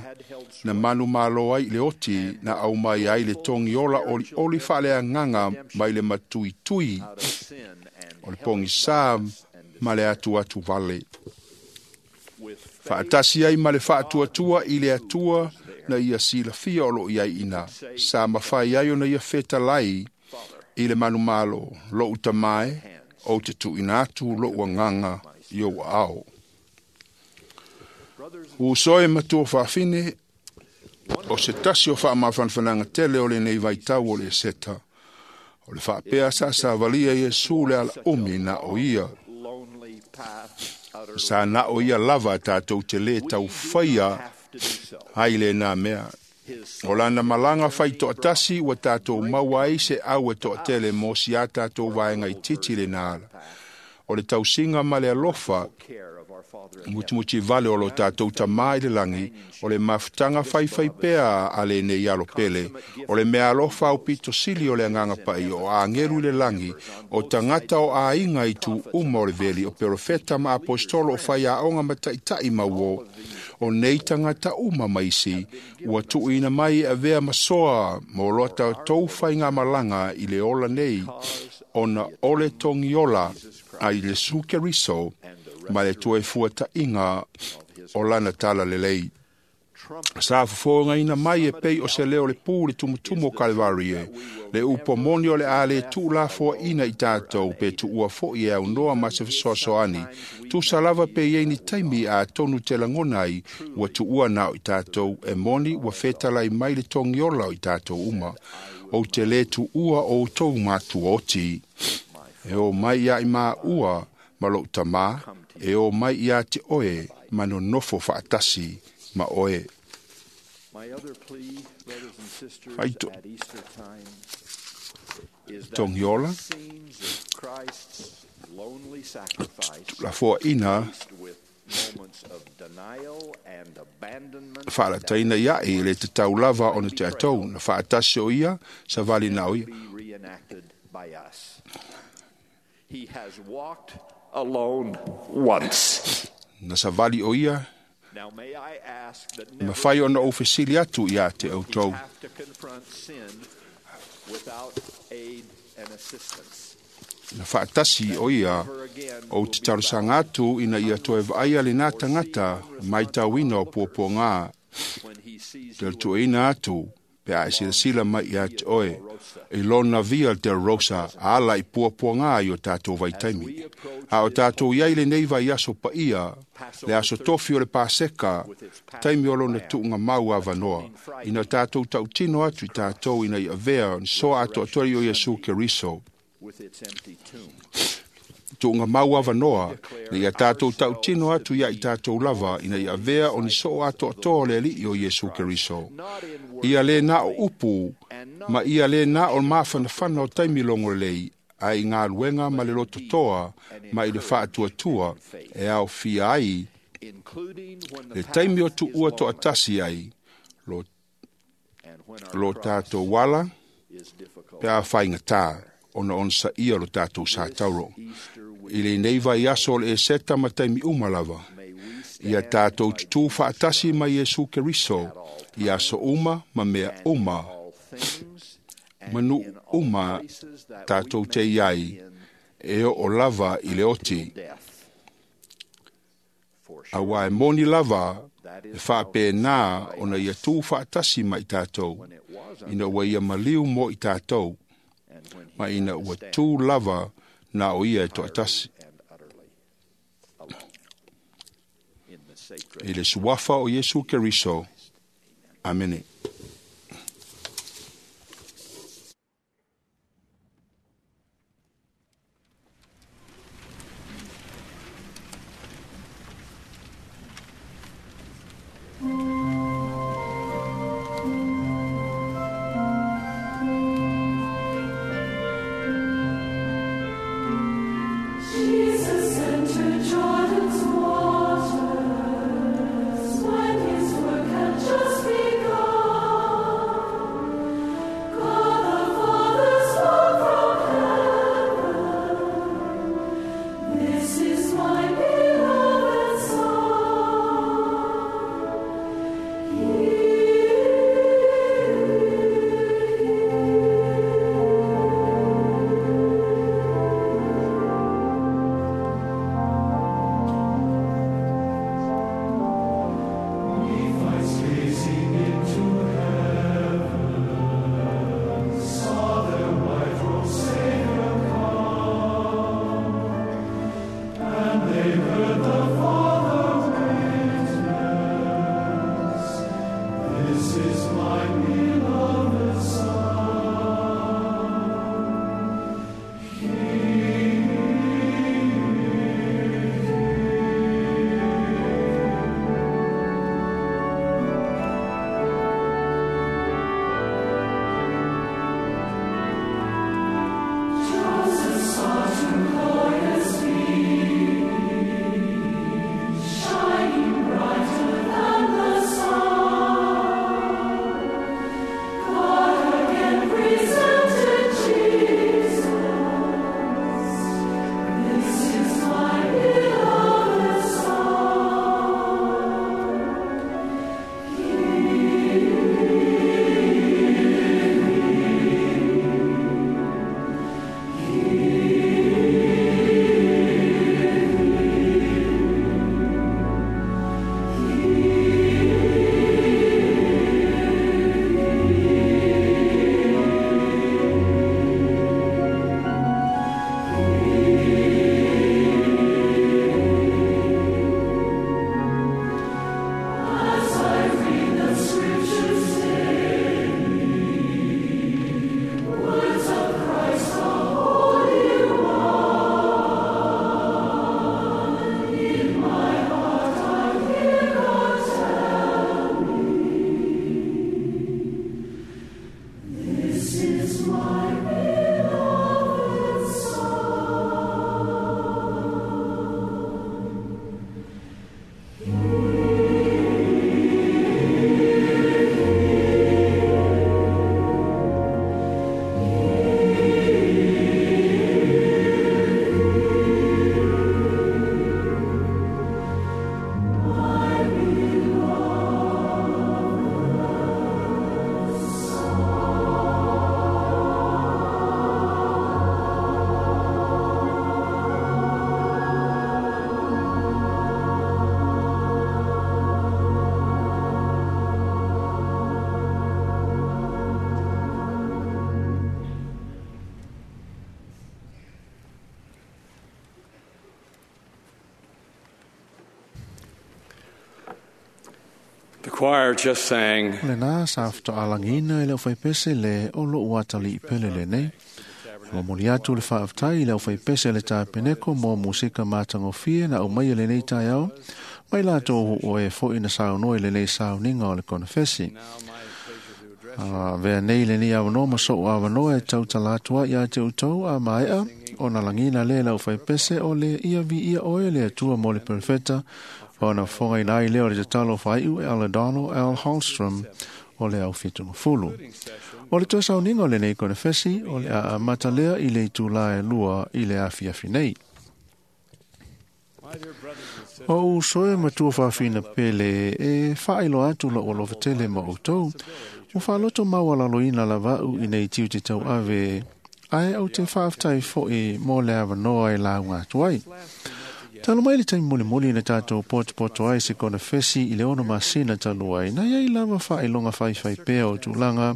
na manumalo ai i le oti na aumai ai le togiola olioli faaleagaga mai le matuitui o le pogisā ma le atuatu vale. Faatasi ai ma le faatuatua i le Atua na ia silafia o loo i ai ina, sa mafai ai ona ia fetalai i le manumalo, loʻu Tamā e, ou te tuuina atu loʻu agaga i ou aao. Uso e matua faafine, o se tasi o faamafanafanaga tele o lenei vaitau o le Eseta, o le faapea sasavalia Iesu le alaumi na o ia. Sa na o ia lava tatou te lē taufaia ai lenā mea. O lana malaga faitoatasi ua tatou maua ai se au e toatele mo si a tatou vaega itiiti lenā ala. O le tausiga ma le alofa Mutimuti vale o lo tātou tamā i le langi, o le mafutaga faifai pea a le nei alo pele, o le mea alofa au pito sili o le anganga pai o angelu i le langi, o tangata o aiga i tu uma o le veli, o perofeta ma apostolo o whaiaonga ma taitai mau o nei tangata uma maisi, ua tuuina mai e avea masoa mo loa tou whainga malanga i le ola nei, ona ole tongiola a i le sukeriso, ma le toe fuataʻiga o lana tala lelei. Sa fofogaina mai e pei o se leo le pū le tumutumu o Kalevari e, le upo moni o le a le tuulafoaʻina i tatou pe tuua foʻi e aunoa ma se fesoasoani. Tusa lava pe iai ni taimi a tonu te lagona ai ua tuua na o i tatou e moni ua fetalai mai le togiola o i tatou uma. Ou te lē tuua outou matuaoti. E o mai ia i maua ma lou tamā e o mai ia te oe ma nonofo faatasi ma oe. Faito togiola lafoaʻina faalataina iaʻi i le tatau lava ona te atou na faatasi o ia savali na o ia.
He has walked alone once.
Na savali o ia
Now may I ask that
ma whai ona o fesili atu ia te outou.
have to confront sin without aid and assistance.
Na whaatasi o ia o te tarosanga atu ina ia toe vaaia le nā tangata mai tauina o puapua ngā. Te tuaina atu pe a e silasila mai ia te oe i lona via te rosa ala i puapua ngā i o tātou vaitaimi. A o tātou iai le nei vai aso pa ia, le aso tofi o le pāseka, taimi o lona tuunga mau avanoa. Ina tātou tautino atu i tātou ina i avea, ni soa ato atori o Iesu Keriso.
With its empty tomb.
Tuunga mau avanoa, na ia tātou tautino atu ia i tātou lava, ina i avea o ni soo ato atoa le alii o Iesu Keriso. Ia le nā o upu, ma ia le nā o māwhanawhana o taimi longo lei, a i ngā luenga ma le loto toa, ma i le whaatuatua, e au fia ai, le taimi o tuua to atasi ai, lo tātou wala, pe a whainga ona on sa ia lo tātou sa tauro. I le nei vai aso o le e seta ma taimi uma lava. Ia tātou tutu whaatasi mai Iesu Keriso, i aso uma ma mea uma. Manu uma tātou te iai, e o lava i le oti. Awa e moni lava, e whaapē nā ona ia tū whaatasi mai tātou, ina ua ia maliu mo i tātou, ma ina ua tū lava nā o ia e toatasi. I le suafa o Iesu Keriso. Amene.
Jesus entered Jordan's waters when his work had just begun.
The choir just sang
Lena sa whatoalangina i leo whaipese le o loo atali i pele le nei. Mo moli atu le whaaftai i leo whaipese le tā peneko mo musika mātangofie na o mai le nei tai au. Mai lātou o e fo ina saunoa i le nei sauninga o le konefesi. Vea nei le nei awanoa ma so awanoa e tau talatua ia te utou a maea o na langina le lau whaipese o le ia vi ia oe le atua mo le perfeta o na whonga ina i leo le tatalo whaiu e Aladano Al Holstrom o le au whitunga fulu. O le toa sauninga o le nei konefesi o le a matalea i le itula e lua i le afi afi nei. O usoe matua whawhina pele e whailo atu la o lofatele ma o tau. O whaloto mawalalo ina lava u i nei tiu te tau ave ai au te whaaftai fo i mō le awanoa e la unga atu ai. Talo mai le taimi moli moli na tātou poto ai se kona fesi i le ono masina talu ai. Na iai lava whailonga whaiwhai pea o tūlanga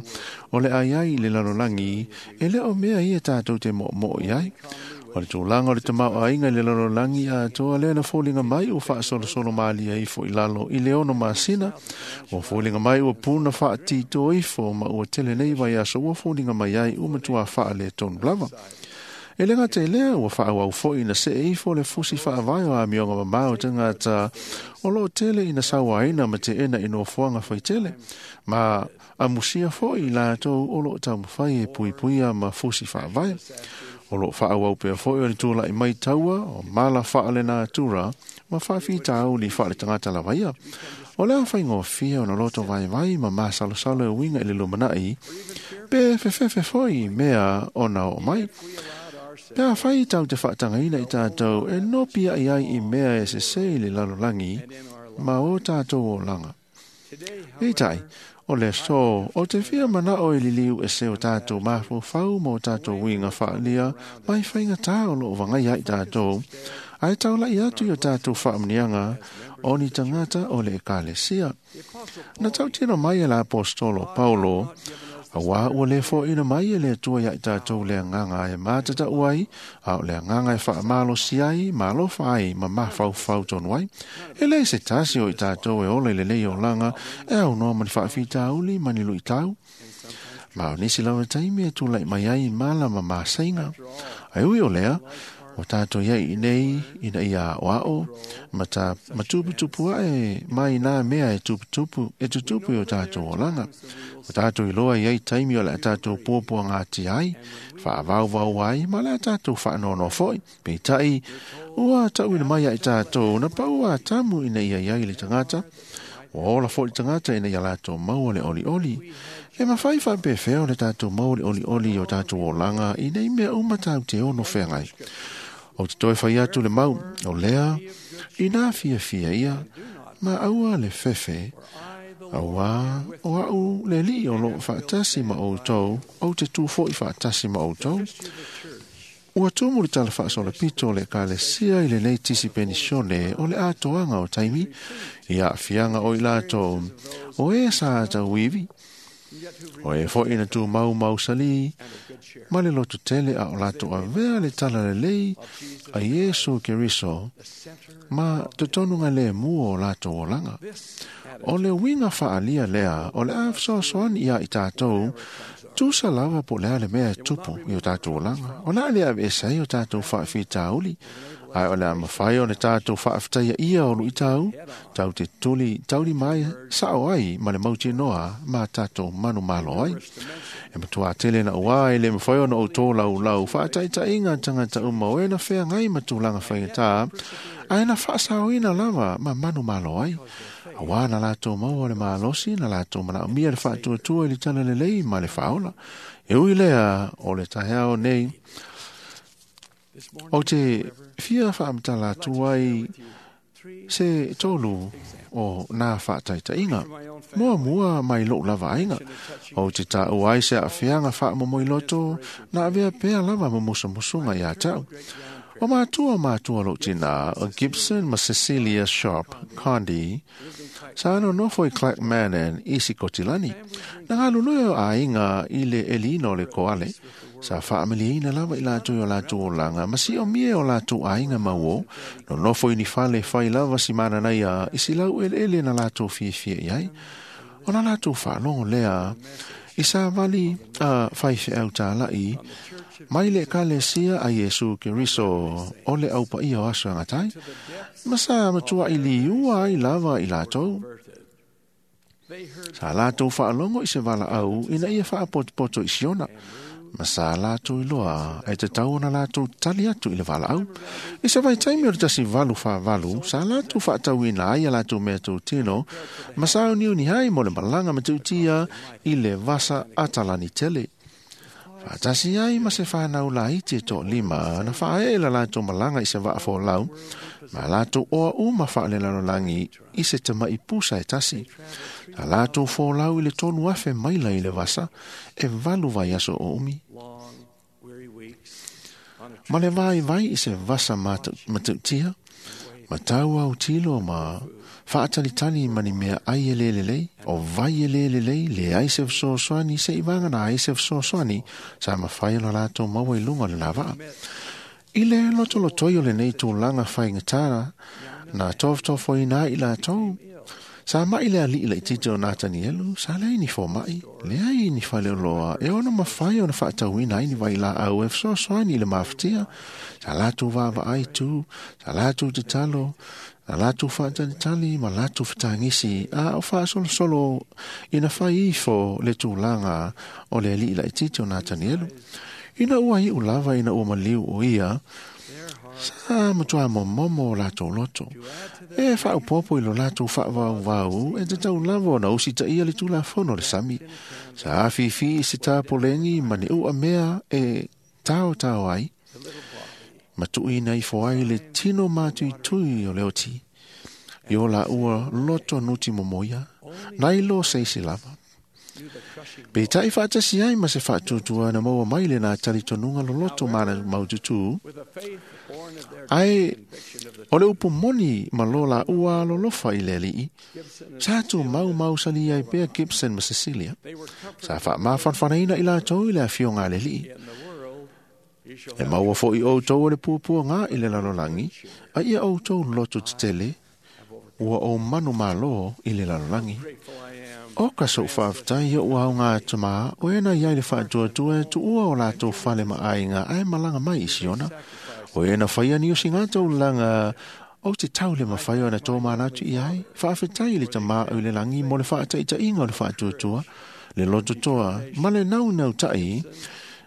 o le ai ai i le lalolangi e le o mea ia tātou te mo mo i ai. O le tūlanga o le tamau ainga i le lalolangi a toa lea na fōlinga mai o whaasolosolo malia ifo i lalo i le ono masina. O fōlinga mai ua puna whaatito ifo ma ua tele nei vai aso ua fōlinga mai ai ua matua whaa le tonu lava. E lenga te lea ua whaau au fo ina se ifo le fusi whaavai o a mionga mamao tangata o lo tele ina sauaina ma te ena ino fuanga whaitele. Ma a musia fo i lātou o lo taumawhai e puipuia ma fusi whaavai. O lo whaau au pea fo i o le tūla i mai taua o mala whaale nā tura ma whawhita au li whaale tangata lawaia. O lea whaingo fia o na loto vai vai ma masalosalo e winga i le lumanai pe fefefe fo i mea o na o mai. Pea whai tau te whaatangaina i tātou e no pia i ai i mea e se se i le lalolangi ma o tātou o langa. E tai, o le so, o te whia mana o i liliu e se o tātou mawhau mō tātou winga whaalia mai whainga tā o lo wangai ai tātou. Ai tau lai atu i o tātou whaamnianga o ni tangata o le ekalesia. Na tau tino mai e la apostolo Paulo, Awa ua le fo ina mai e le atua ia i tātou le anganga e mātata uai, a o le anganga e whaamalo si ai, malofa ai, ma mawhau tonu ai. E le se tasi o i tātou e ole le lei o langa, e au noa mani whaawhita auli, mani lui tau. Ma o nisi lawa taimi e tūlai mai ai mala ma māsainga. Ai ui o lea, o tātou ia i nei, ina ia o ao, ma tā matuputupu ae mai nā mea e tuputupu, e tutupu i o tātou o langa. O tātou i loa i ai taimi o le a tātou pōpua ngāti ai, whaavauvau ai, ma le a tātou whaanono foi. Peitai, ua tauina mai ai tātou, na pau a tamu ina ia iai le tangata. O ola foi le tangata ina ia lātou maua le oli oli. E mawhai whaapewheo le tātou maua le oli oli o tātou o langa i nei mea uma tāu te ono whengai. O te toi whai atu le mau, o lea, i nā fia fia ia, ma aua le fefe, aua o au le li o lo whaatasi ma o tau, o te tūfo i whaatasi ma o tau. Ua tumu le tala whaasola pito le kalesia i le nei tisi penisione o le atoanga o taimi, i a fianga o i lātou, o e sa tau iwi. O e fo ina tū mau mau sali, ma le lotu tele a o lātou avea le tala le lei a Iesu Keriso, ma totonu ngā le mua o lātou o langa. O le winga whaalia lea, o le awhasoasoani ia i tātou, tūsa lava po lea le mea e tupu i o tātou o langa. O lea lea e sai o tātou whaawhitauli, ai o lea mawhai o le tātou whaawhitaia ia o lui tau, tau te tuli, tauli mai sao ai ma le mauti noa ma tātou manu malo ai. E matua tele na ua e le mawhai o na o tō lau lau whaataitainga tangata uma o e na whea ngai matulanga whaingatā, ai na whaasauina lava ma manu malo ai. Awa na lātou maua le malosi, na lātou mana mia le whaatuatua i le tana le lei ma le whaola. E ui lea o le taheao nei, o te fia whaamtala atu ai se tolu o nā whaataitainga. Mua mua mai lou lava ainga. O te tāu ai se a whianga whaamomoi loto, na avea pea lava mamusamusunga i a tau. O matua matua lou tinā o Gibson ma Cecilia Sharp Condi sa nonofo i Clackmannan i Sikotilani. Na galulue o aiga i le eliina o le koale sa faamalieina lava i latou i o latou olaga ma siomia e o latou aiga mauō nonofo i ni fale fai lava si mananaia i se laueleele na latou fiafia i ai. O la latou faalogo lea i savali a faifeau tālaʻi mai le Ekalesia a Iesu Keriso o le aupaia o aso e agatai, ma sa matuaʻi liua ai lava i latou. Sa latou faalogo i se valaau ina ia faapotopoto i Siona, ma sa latou iloa e tatau ona latou tali atu i le valaau. I se vaitaimi o le 1848, sa latou faatauina ai a latou mea tautino ma sauniuni ai mo le malaga matautia i le vasa Atalani tele. Faatasi ai ma se whanau laiti e toalima na faaee la latou malaga i se vaafolau ma latou oa uma faalelalolagi i se tamaʻi pusa e tasi. Sa latou folau i le 3,000 maila i le vasa e 8 vaiaso o umi. Ma le vaivai i se vasa matautia, ma tau autilo ma faatalitali ma ni mea ai e lē lelei, o vai e lē lelei, leai se fesoasoani seʻi vagana ai se fesoasoani sa mafai ona latou maua i luga o le lavaa. I le lotolotoi o lenei tulaga faigatā na tofotofoina ai i latou, sa maʻi le aliʻi laitiiti o Natanielu, sa leai ni fomaʻi, leai ni faleoloa e ono mafai ona faatauina ai ni vailaau e fesoasoani i le mafatia. Sa latou vaavaai tu, sa latou tatalo, sa latou faatalitali ma latou fetagisi a o faasolosolo ina fai ifo le tulaga o le aliʻi laitiiti o Natanielu. Ina ua iʻu lava ina ua maliu o ia, sa matuā momomo o latou loto. E faaopopo i lo latou faavauvau e tatau lava ona usitaia le tulafono o le sami. Sa afifi i se tapoleni ma ni u'a mea e taotao ai, ma tuuina ifo ai le tino matuitui o le oti. I o la ua loto nuti momoia, nai lo seisi lava. Peitai faatasi ai ma se faatuatua na maua mai lena talitonuga loloto ma maututū, ae o le upu moni ma lo laua alolofa i le alii, sa tumau mausali ai pea Gibson ma Cecilia. Sa faamafanafanaina i latou i le afioga a le alii. E maua foʻi outou o le puapuaga i le lalolagi, a ia outou loto tetele, ua ou manumālō i le lalolagi. O ka soʻu faafetai oʻu aoga tamā o e na iai le faatuatua e tuua o latou fale ma aiga ae malaga mai i Siona. O e na faia ni usiga taulaga o te tau le mafai ona tō manatu i ai. Faafetai i le tamā o i le lagi mo le faataitaiga o le faatuatua, le lototoa ma le naunautai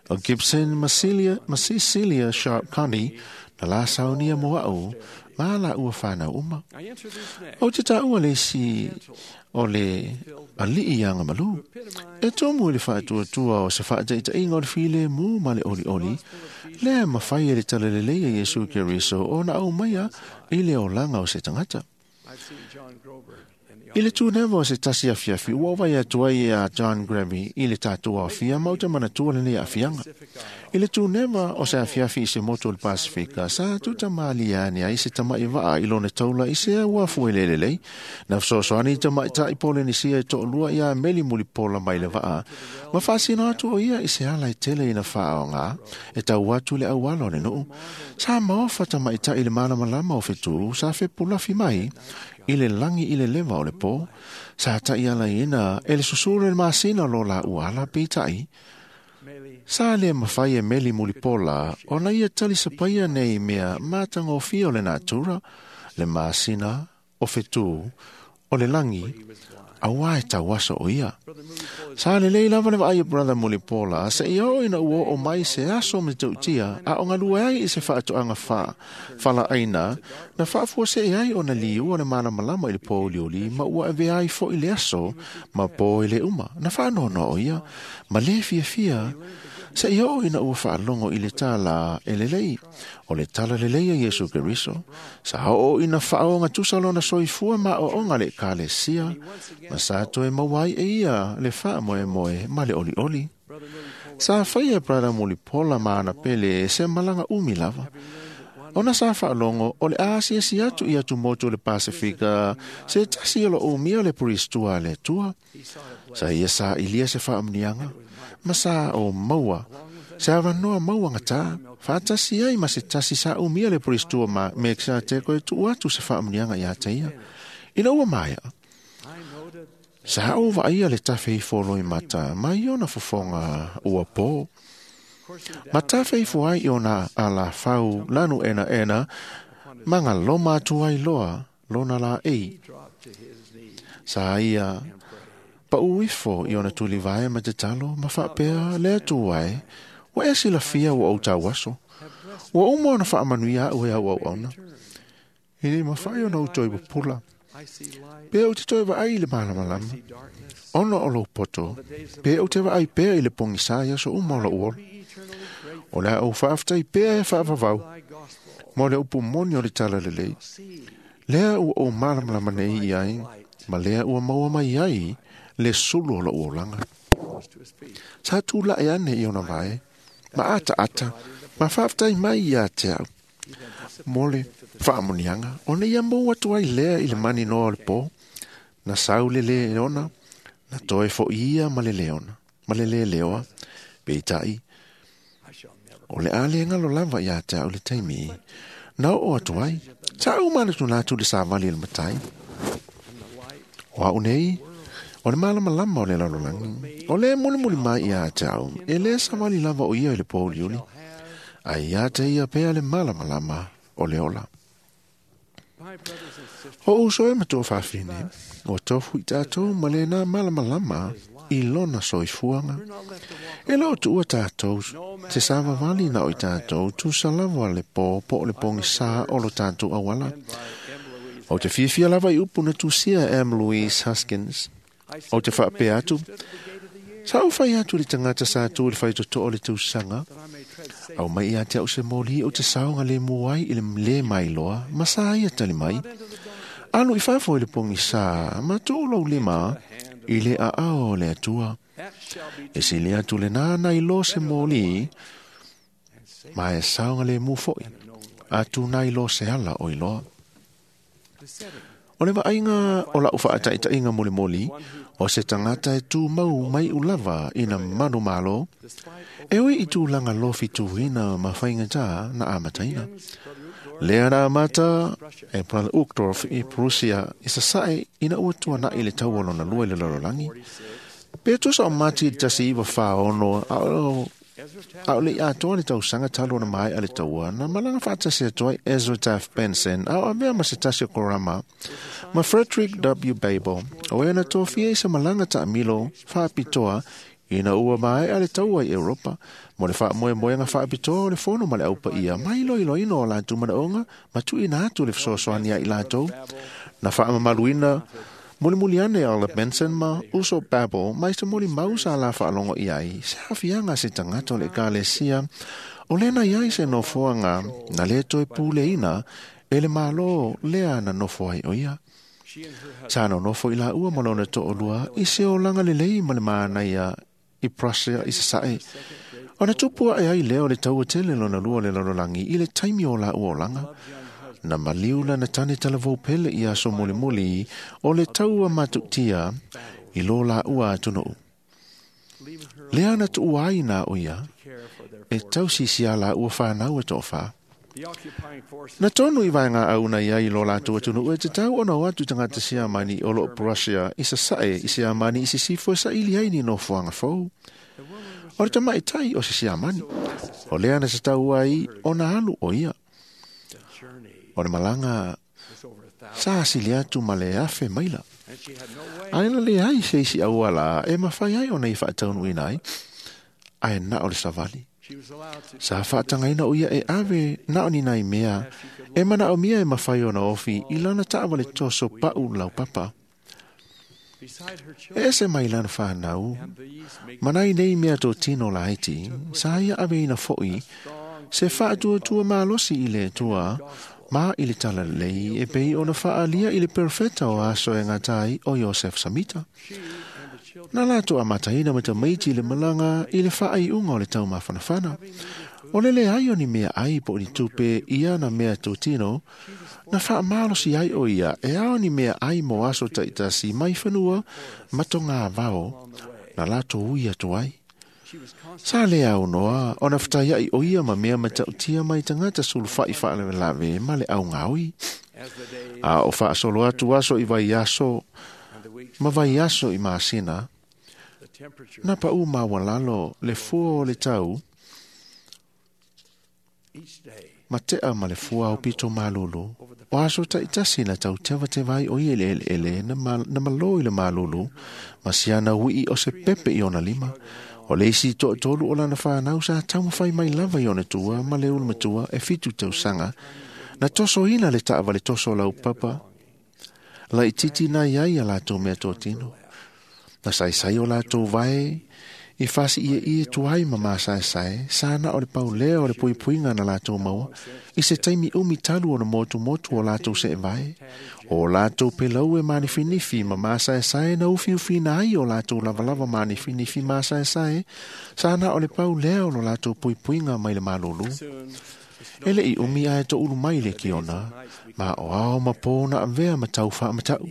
o Gibson ma Cecilia Sharp Connie na la saunia mo au ma la ua whanau uma. O te taua le isi o le aliʻi ia malu. E tomu i le faatuatua o se faataitaiga o le filemu ma le olioli, lea mafai e le talalelei a Iesu Keriso ona aumaia i le olaga o se tagata. I le tunewa o se tasi afiafi, ua vai atu ai a John Grammy i le tatou aofia ma uta manatua lenei aafiaga. I le tunewa o se afiafi i se motu o le Pasifika, sa tutamalia ane ai se tamaʻi vaa i lona taula i se uafu e lelelei. Na fesoasoani i tamaʻitaʻi Polenisia e toalua iā meli mulipola mai le vaa, ma faasino atu o ia i se ala e tele ina faaogā e tau atu le auala o le nuu. Sa maofa tamaʻitaʻi le malamalama o fetū, sa fepulafi mai i le lagi i le leva o le pō. Sa taʻialaina e le susulu le masina o lo laua ala peitai. Sa le mafai e meli mulipola ona ia talisapaia nei mea matagofie o le natura, le masina o fetū o le lagi, auā e tauaso o ia. Sa lelei lava le vaai o Brother Mulipola seia oo ina ua oo mai se aso matautia a o galue ai i se faatoaga falaaina na faafuasei ai ona liua le malamalama i le pōuliuli ma ua avea ai foʻi le aso ma pō e le uma. Na faanoanoa o ia ma lē fiafia seia oo ina ua faalogo i le tala e lelei o le tala lelei a Iesu Keriso. Sa oo ina faaogatusa lona soifua ma aoaoga le Ekalesia ma sa toe maua ai e ia le faamoemoe ma le olioli. Sa faia Brother Mulipola ma ana pele se malaga umi lava. Ona sa faalogo o le a asiasi atu i atumotu o le Pasefika se tasi o loo umia le puristua a le Atua. Sa ia sailia se faamuniaga ma sa o maua se avanoa mauagatā faatasi ai ma se tasi sa umia le puristua ma Mekisateko e tuu atu se faamuniaga iā te ia. Ina ua maea, sa ou vaaia le tafe ifo o loimata mai ona fofoga ua pō. Ma tafe ifo ai i ona alafau lanu enaena ma galoma atu ai loa lona laei. Sa ia paʻu ifo i ona tulivae ma tatalo ma faapea le Atua e, ua e silafia ua ou tauaso. Ua uma ona faamanuia aʻu e au auauna. E le mafai ona ou toe pupula. Pe ou te toe vaai i le malamalama, ona o lou poto, pe ou te vaai pea i le pogisā i aso uma o lou ola. O le a ou faafetai pea e faavavau, mo le upu moni o le talalelei. Lea ua ou malamalama nei i ai, ma lea ua maua mai ai le sulu o lou olaga. Sa tulaʻe ane i ona vae, ma ataata, ma faafetai mai ia te au. Mo le faamuniaga, ona ia mou atu ai lea i le maninoa o le pō, na sau le leona, na toe foʻi ia ma le leona, ma le leleoa, peitai, o le a le galo lava iā te au le taimi, na oo atu ai, sa ou manatunatu le savali i le matai. O au nei, o le malamalama o le lalolagi, o le mulimuli mai iā te au, e lē savali lava o ia i le pōuliuli, ae iā te ia pea le malamalama o le ola. O uso e matua faafine, ua tofu i tatou ma lenā malamalama i lona soifuaga. E le o tuua tatou se savavali na o i tatou tusa lava le pō po o le pogisā o lo tatou auala. Ou te fiafia lava i upu na tusia e M. Louise Huskins. Ou te faapea atu, sa ou fai atu i le tagata sa tu i le faitotoo o le tausaga, au mai ia te au se moli o te saoga le mu ai i le le mailoa, ma sa ia tali mai. Alu i fafo i le pogisā, ma tuu lou lima i le aao o le Atua. E sili atu lenā nai lo se moli, ma e saoga le mu foʻi, atu nai lo se ala o iloa. O le vaaiga o lau faataitaiga molimoli, o se tagata e tumau mai ulava ina manumalo, e ui i tulaga lofituina ma faigatā na amataina. Lea na amata e Brother Uchtdorf i Prussia i sasae ina ua tuanaʻi le taua lona lua i le lalolagi. Pe tusa o Mati i le 1946, a o le i atoa le tausaga talu ona maea le taua, na malaga faatasi atu ai Ezra Taft Benson a o avea ma se tasi o Korama ma Frederick W. Babel, o ea na tofia i se malaga taamilo faapitoa ina ua maea le taua i Europa mo le faamoemoega faapitoa o le fono ma le aupaia mai iloiloina o latou manaoga ma tuuina atu le fesoasoani ai latou. Na faamamaluina mulimuli ane Elder Benson ma Uso Babel mai se molimau sa la faalogo i ai se aafiaga a se tagata o le ekalesia o lena i ai se nofoaga na lē toe puleina e le mālō lea na nofo ai o ia. Sa nonofo i laua ma lona toʻalua i se olaga lelei ma le manaia i Prussia i sasae. Ona tupu aʻe ai lea o le taua tele lona lua o le lalolagi i le taimi o laua olaga. Na maliu lana tane talavou pele i aso mulimuli o le taua matuʻutia i lo laua atunuu. Lea na tuua ai na o ia e tausisi a laua fanau e toʻafā. Na tonu i vaega auna i ai i lo latou atunuu e tatau ona o atu tagata Siamani o loo Prussia i sasae i Siamani i sisifo e saili ai ni nofoaga fou. O le tamaʻitai o se Siamani, o lea na tatau ai ona alu o ia. O le malaga sa asili atu ma le 1,000 maila. Ae na leai se isi auala e mafai ai ona i faataunuuina ai, ae na o le savali. Sa faatagaina o ia e ave na o ni nai mea e manaomia e mafai ona ofi i lana taavale toso paʻu laupapa. E ese mai lana fanau, ma nai nei mea totino laiti, sa ia aveina foʻi se faatuatua malosi i le Atua ma i le talalelei e pei ona faaalia i le perofeta o aso e gata ai o Iosef Samita. Na latou amataina ma tamaiti i le malaga i le faaiuga o le taumafanafana. O le leai o ni mea ai po o ni tupe ia na mea totino, na whaamalosi ai o ia e ao ni mea ai mo aso taitasi mai whanua matonga vao na lato ui atu ai. Sa le au noa, o na whataiai o ia ma mea matautia mai tangata sulufai whaalewelave ma le au ngaui. A o whaasolo atu aso i vai aso, ma vai aso i maasina, na pa u mawalalo le fua o le tau, ma tea ma le fua o pito malulu. O aso taitasi na tau tewa tewai o i ele ele ele na, ma, na malo i le malulu, ma siana ui o se pepe i ona lima. O le isi to tolu o lana whanau sa taumawhai mai lava i ona tua ma le ulu matua e fitu tausaga. Na toso ina le taava le toso lau papa. Lai titi na iai a lātou mea tōtino. Na saisai o lātou vae i fasi ia ia tuai ma māsaesai, sana o le paulea o le puipuinga na lātou maua, i se taimi umi talu o na motu motu o lātou se vae, o lātou pelau e manifinifi ma māsaesai na ufiufina ai o lātou lavalava manifinifi māsaesai, sana o le paulea o lo lātou puipuinga mai le malulu. E le i umi ae to ulu mai le kiona, ma o ao ma pōna avea ma tau wha matau.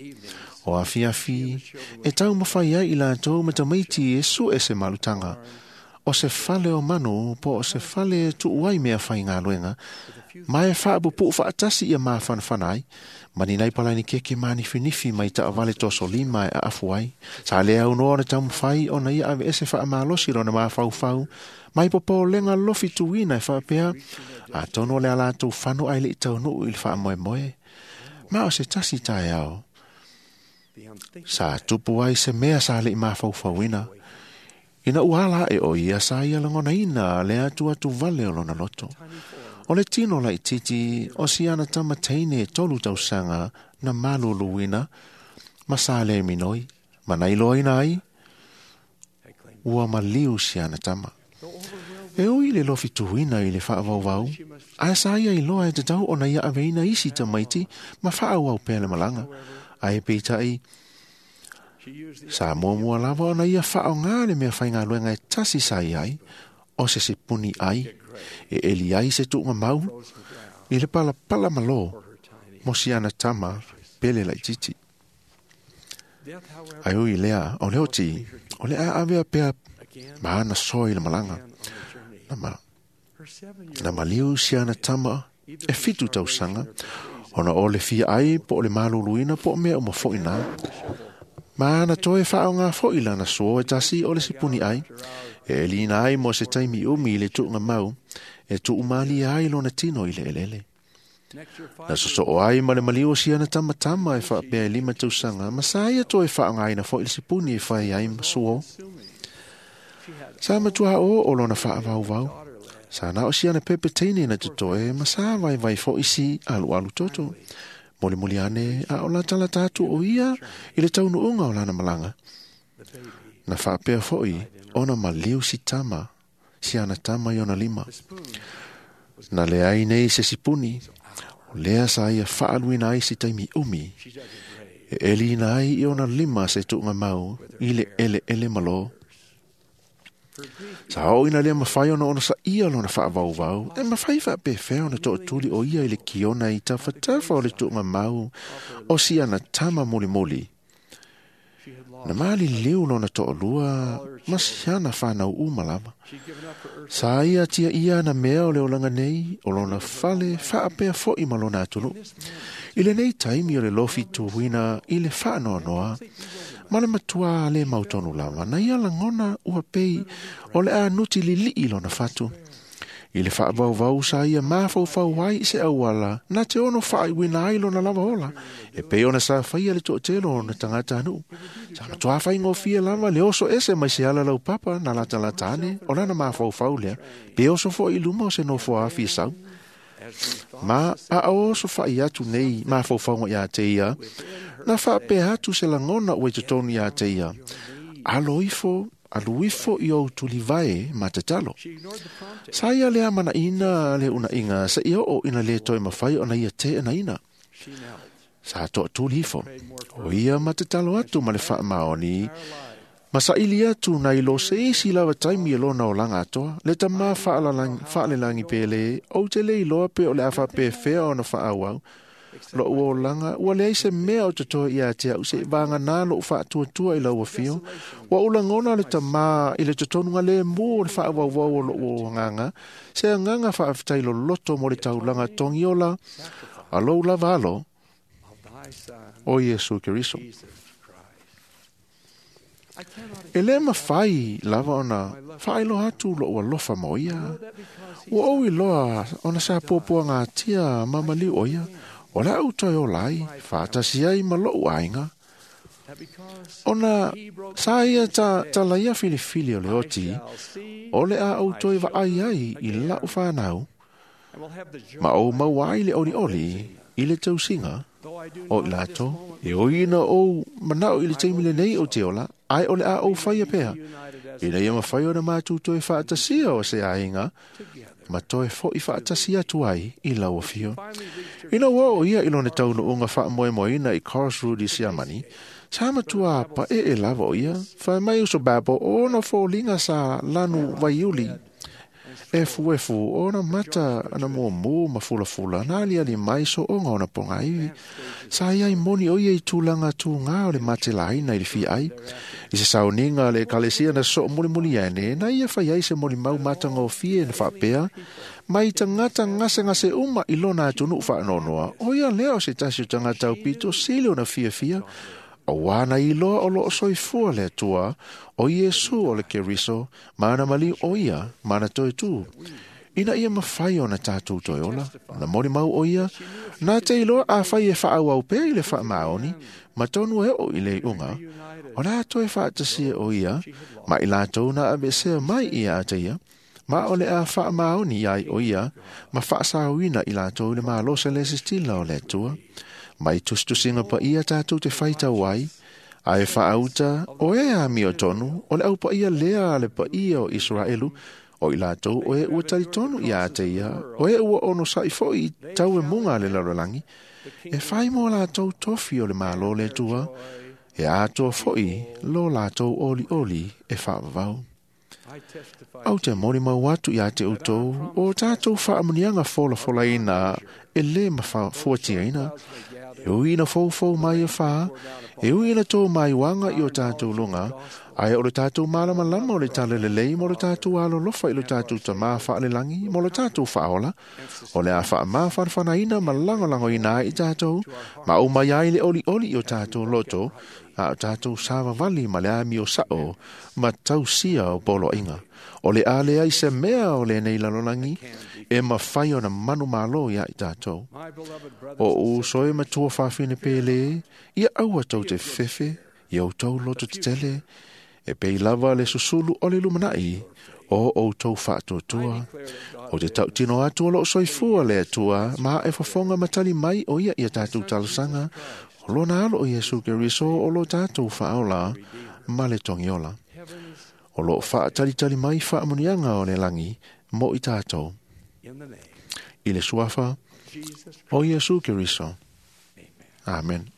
O afiafi, e tau mawhai ai i lātou ma tamaiti e su e se malutanga. O se fale o manu, po o se fale tu uai mea whai ngā luenga, ma e whaapupu whaatasi ia mā whanawhanai, mani nai palaini keke manifinifi mai ta awale toso lima e aafu ai. Sa le au noa na taumawhai o na ia ave ese wha amalosi rona mā whau, mai popo lenga lofi tuina e whaapea, a tono le ala tau whano ai le i tau nuu i le wha moe moe. Ma o se tasi tae ao. Sa tupu ai se mea sa le i mawhauwhauina. Ina uhala e o ia sa ia langona ina le atu atu vale o lona loto. O le tino lai titi o si ana tama teine e tolu tausaga na maluluina ma sa le minoi. Ma na iloaina ai ua maliu si ana tama. E ui le lofi tuina i le whaavauvau, a sa ia iloa e te tau o na ia aveina isi tamaiti ma whaauau pea le malanga. Ai peitai, sa muamua lava ona ia whaonga le mea whaingaluenga e tasi sa i ai, o se se puni ai, e eli ai se tuunga mau, i le pala pala malo, mo si ana tama, pele lai titi. Ai ui lea, o le oti, o le a avea pea ma ana soa i le malanga. Na maliu si ana tama, e fitu tausaga, ona o le fia ai po o le maluluina po o mea o mafoʻi nā. Ma ana toe whaonga foʻi lana soa e tasi o le sipuni ai, e elina ai mo se taimi umi i le tuunga mau, e tuumali ai lona tino i le elele. Na sosoo ai ma le maliu o siana tamatama e whaapea e lima tausaga, ma sa ia toe whaongaina foʻi le sipuni e whai ai ma suo. Sa matua o o lona whaavauvau. Sa na o siana pepe teine na te toe, ma sa vai vai fo isi alu alu toto. Moli moli ane, a o la tala tatu o ia, i le taunu unga o lana malanga. Na whaapea foi, ona maliu si tama, si ana tama i ona lima. Na le ai nei se sipuni, o lea sa ia whaaluina ai si taimi umi. E elina ai i ona lima se tuunga mau, i le ele ele malo. Sa o ina lea mawhai ona ona sa ia lona whaavauvau, e mawhai whaapewhea ona tootuli o ia i le kiona i tawhatafa o le tuunga mau, o si ana tama moli moli. Na maali liu lona toolua, ma si ana whanau uma lava. Sa ia tia ia na mea o le olanga nei, o lona fale whaapea foi ma lona atulu. I le nei taimi o le lofi tuwina i le whaanoanoa, ma le matua le mautonu lava, na ia langona ua pei o le a nuti lili lona fatu. I le whaavauvau sa ia mafaufau ai se auala, na te ono whaaiwina ai lona lava ola, e pei ona sa whaia le tootelo ona tangata anu. Sa matua whaingofia lava le oso ese mai se ala lau papa na lata latane, o lana mafaufau lea, pe oso fo i luma o se nofo afi sau. Ma a oso whai atu nei mafaufauga ia te ia, na whaapea atu se langona ue te tonu ia te ia. Alo ifo, alu ifo i o tulivae ma te talo. Sa ia lea mana ina le una inga, sa ia o ina le toe mawhai ona ia te ina ina. Sa toa tuli ifo. O ia ma te talo atu ma le whaamaoni, Ma saili atu nai lo se isi lava taimi e lona olaga atoa, le tamā faalelagi pele, ou te le iloa pe o le a faapefea ona faaauau. Lo'u olaga, ua leai se mea o totoe ia te a'u se'i vaganā lo'u faatuatua i lau afio. Ua ou lagona le tamā i le totonuga lēmū o le faauauau o lo'u agaga, se agaga faafetai loloto mo le taulaga togiola a lou lava alo, o Iesu Keriso. E lē mafai lava ona faailoa atu lo'u alofa mo ia. Ua ou iloa ona sa puapuagatia ma maliu o ia, o le a'u toe ola ai, faatasi ai ma lo'u aiga. Ona sa ia talaia filifili o le oti, o le a ou toe vaai ai i la'u fanau, ma ou maua ai le olioli i le tausiga o i latou, e ui ina ou mana'o i le taimi lenei o te ola, ae o le a ou faia pea, ina ia mafai ona matou toe faatasia o se aiga, ma toe fo'i faatasi atu ai i lau afio. Ina ua oo ia i lona taunuuga faamoemoeina i Karlsruhe i Siamani, sa matua paee lava o ia, fai mai uso Babo o ona foliga sa lanu vaiuli, efuefu ona mata ana muamū ma fulafula na aliali mai so'oga ona pogaivi. Sa iai moni o ia i tulaga tugā o le matelaina i le fiai. I se sauniga a le ekalesia na soo mulimuli ane, na ia fai ai se molimau matagofie na faapea, mai tagata gasegase uma i lona atunuu faanoanoa, o ia lea o se tasi o tagata aupito sili ona fiafia, auā na iloa o loo soifua le Atua, o Iesu o le Keriso, ma ana maliu o ia, ma ana toe tū. Ina ia mafai ona tātou toe ola, na molimau o ia, na te iloa afai e faaauau pea i le faamaoni, ma tonu e oo i le iuga, o le a toe faatasia o ia, ma i latou na aveesea mai ia te ia, ma o le a faamaoni ai o ia, ma faasaoina i latou i le malosi le sesitila o le Atua. Mai tusitusiga paia tatou te faitau ai, ae faauta o e amio tonu, o le aupaia lea a le paia o Iseraelu, o i latou o e ua talitonu ia te ia, o e ua onosa'i fo'i i tauemuga a le lalolagi, e fai mo latou tofi o le Malo le Atua, e atoa fo'i lo latou olioli e faavavau. Ou te molimau atu ia te outou, o tatou faamuniaga folafolaina e lē mafuatiaina, e ui ina foufou mai e fā, e ui ina tō maiuaga i o tatou luga, ae o le tatou malamalama o le talalelei mo le tatou alolofa i lo tatou tamā faalelagi mo lo tatou faaola, o le a faamafanafanaina ma lagolagoina ai i tatou, ma ou mai ai le olioli i o tatou loto, a o tatou savavali ma le amio sa'o ma tausia o poloaiga. O le a leai se mea o lenei lalolagi, e mafai ona manumalo ia i tatou. O uso e matua fafine pele, ia aua tou te fefe, ia outou loto tetele, e pei lava le susulu o le lumana'i, o outou faatuatua. O te tautino atu o loo soifua le Atua, ma e fofoga ma tali mai o ia ia tatou talosaga, o lona alo o Iesu Keriso o lo tatou faaola ma le togiola. O loo faatalitali mai faamuniaga o le lagi mo i tatou. I le suafa o Iesu Keriso. Amen.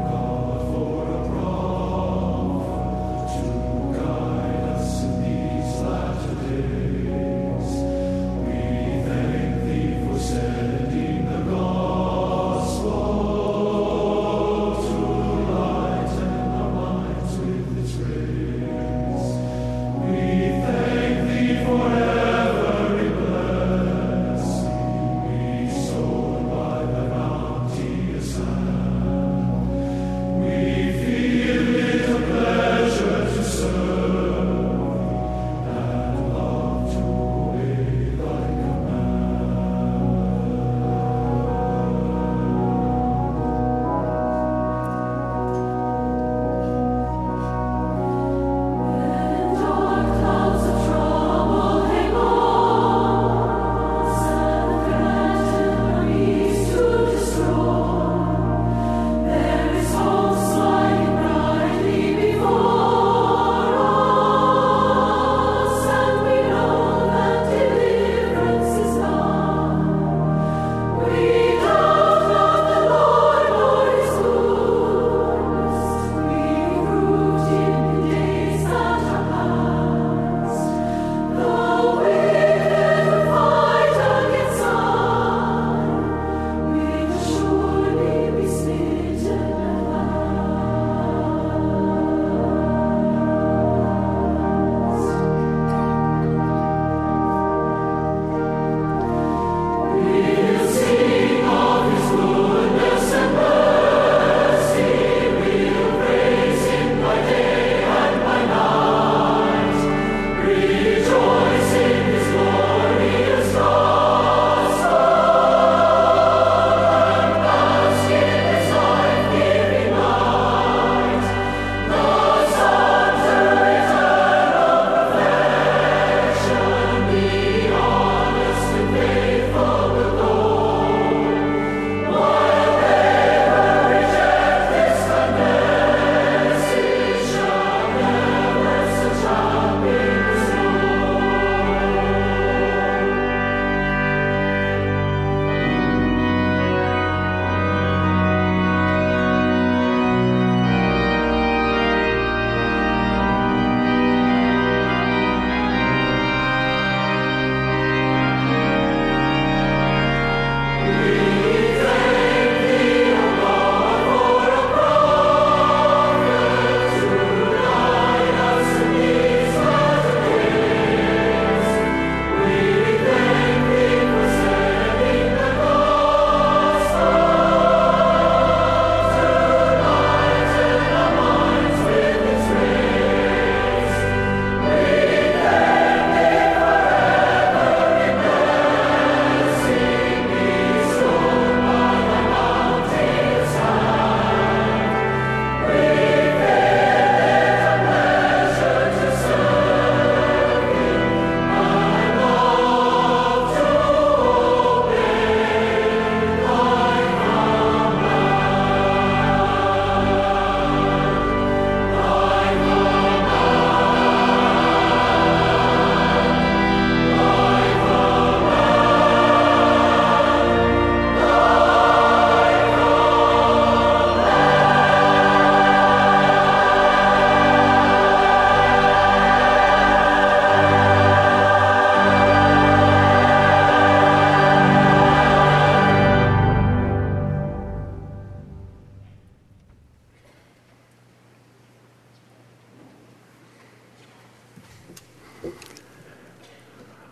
God for a prophet.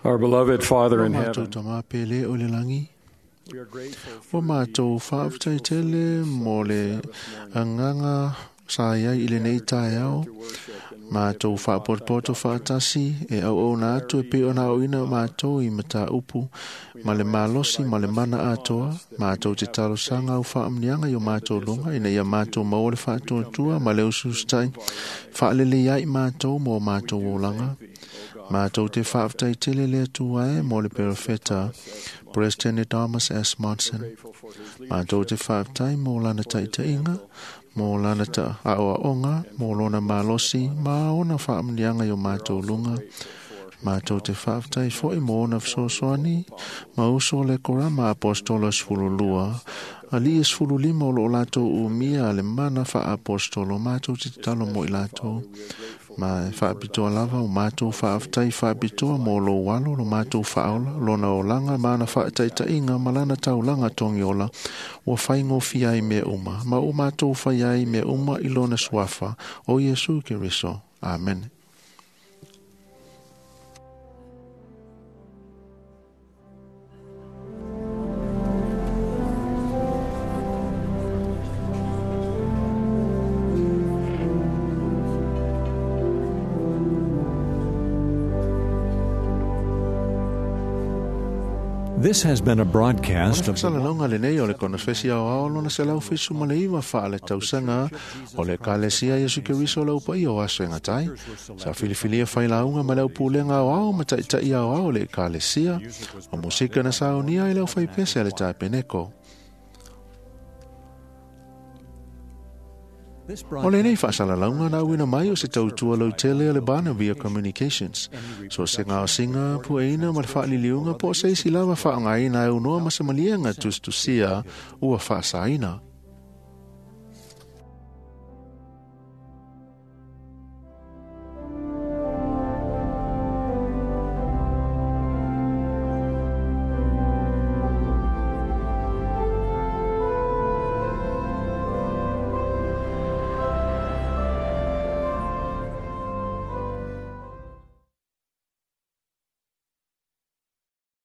Our beloved Father in
O matou
heaven,
tamā pele o le langi. Ua matou faafetai tele mo le agaga sa iai i lenei taeao. Matou faapotopoto faatasi e auauna atu e pei ona aoina matou i mataupu ma le malosi ma le mana atoa. Matou te talosaga au faamuniaga i o matou luga ina ia matou maua le faatuatua ma le ususitai faalelei ai matou mo matou olaga. Matou te faafetai tele le Atua e mo le perofeta President Thomas S. Monson. Matou te faafetai mo lana taitaiga, mo lana aoaoga, mo lona malosi ma ona faamuniaga i o matou luga. Matou te faafetai foi mo ona fesoasoani ma uso o le korama apostolo 12, alii e 15 o loo latou umia le mana faaapostolo. Matou te tatalo mo i latou. Ma e faapitoa lava o matou faafetai faapitoa mo lou alo, lo matou faaola, lona olaga ma ana faataitaiga ma lana taulaga togiola, ua faigofie ai mea uma, ma ua matou fai ai mea uma i lona suafa, o Iesu Keriso. Amen.
This has been a broadcast of the
Fasalalauga lenei o le konefesi aoao lona 179 faaletausaga o le Ekalesia Iesu Keriso o le Aupaia o Aso e Gatai. Sa filifilia failauga ma le aupulega aoao ma taʻitaʻi aoao o le Ekalesia. O musika na saunia i le aufaipese a le Tapeneko. O lenei faasalalauga na auina mai o se tautua lautele a le Barnabia Communications. So se gaosiga pueina ma le faaliliuga po o se isi lava faaaogaina e aunoa ma se maliega tusitusia ua faasaina.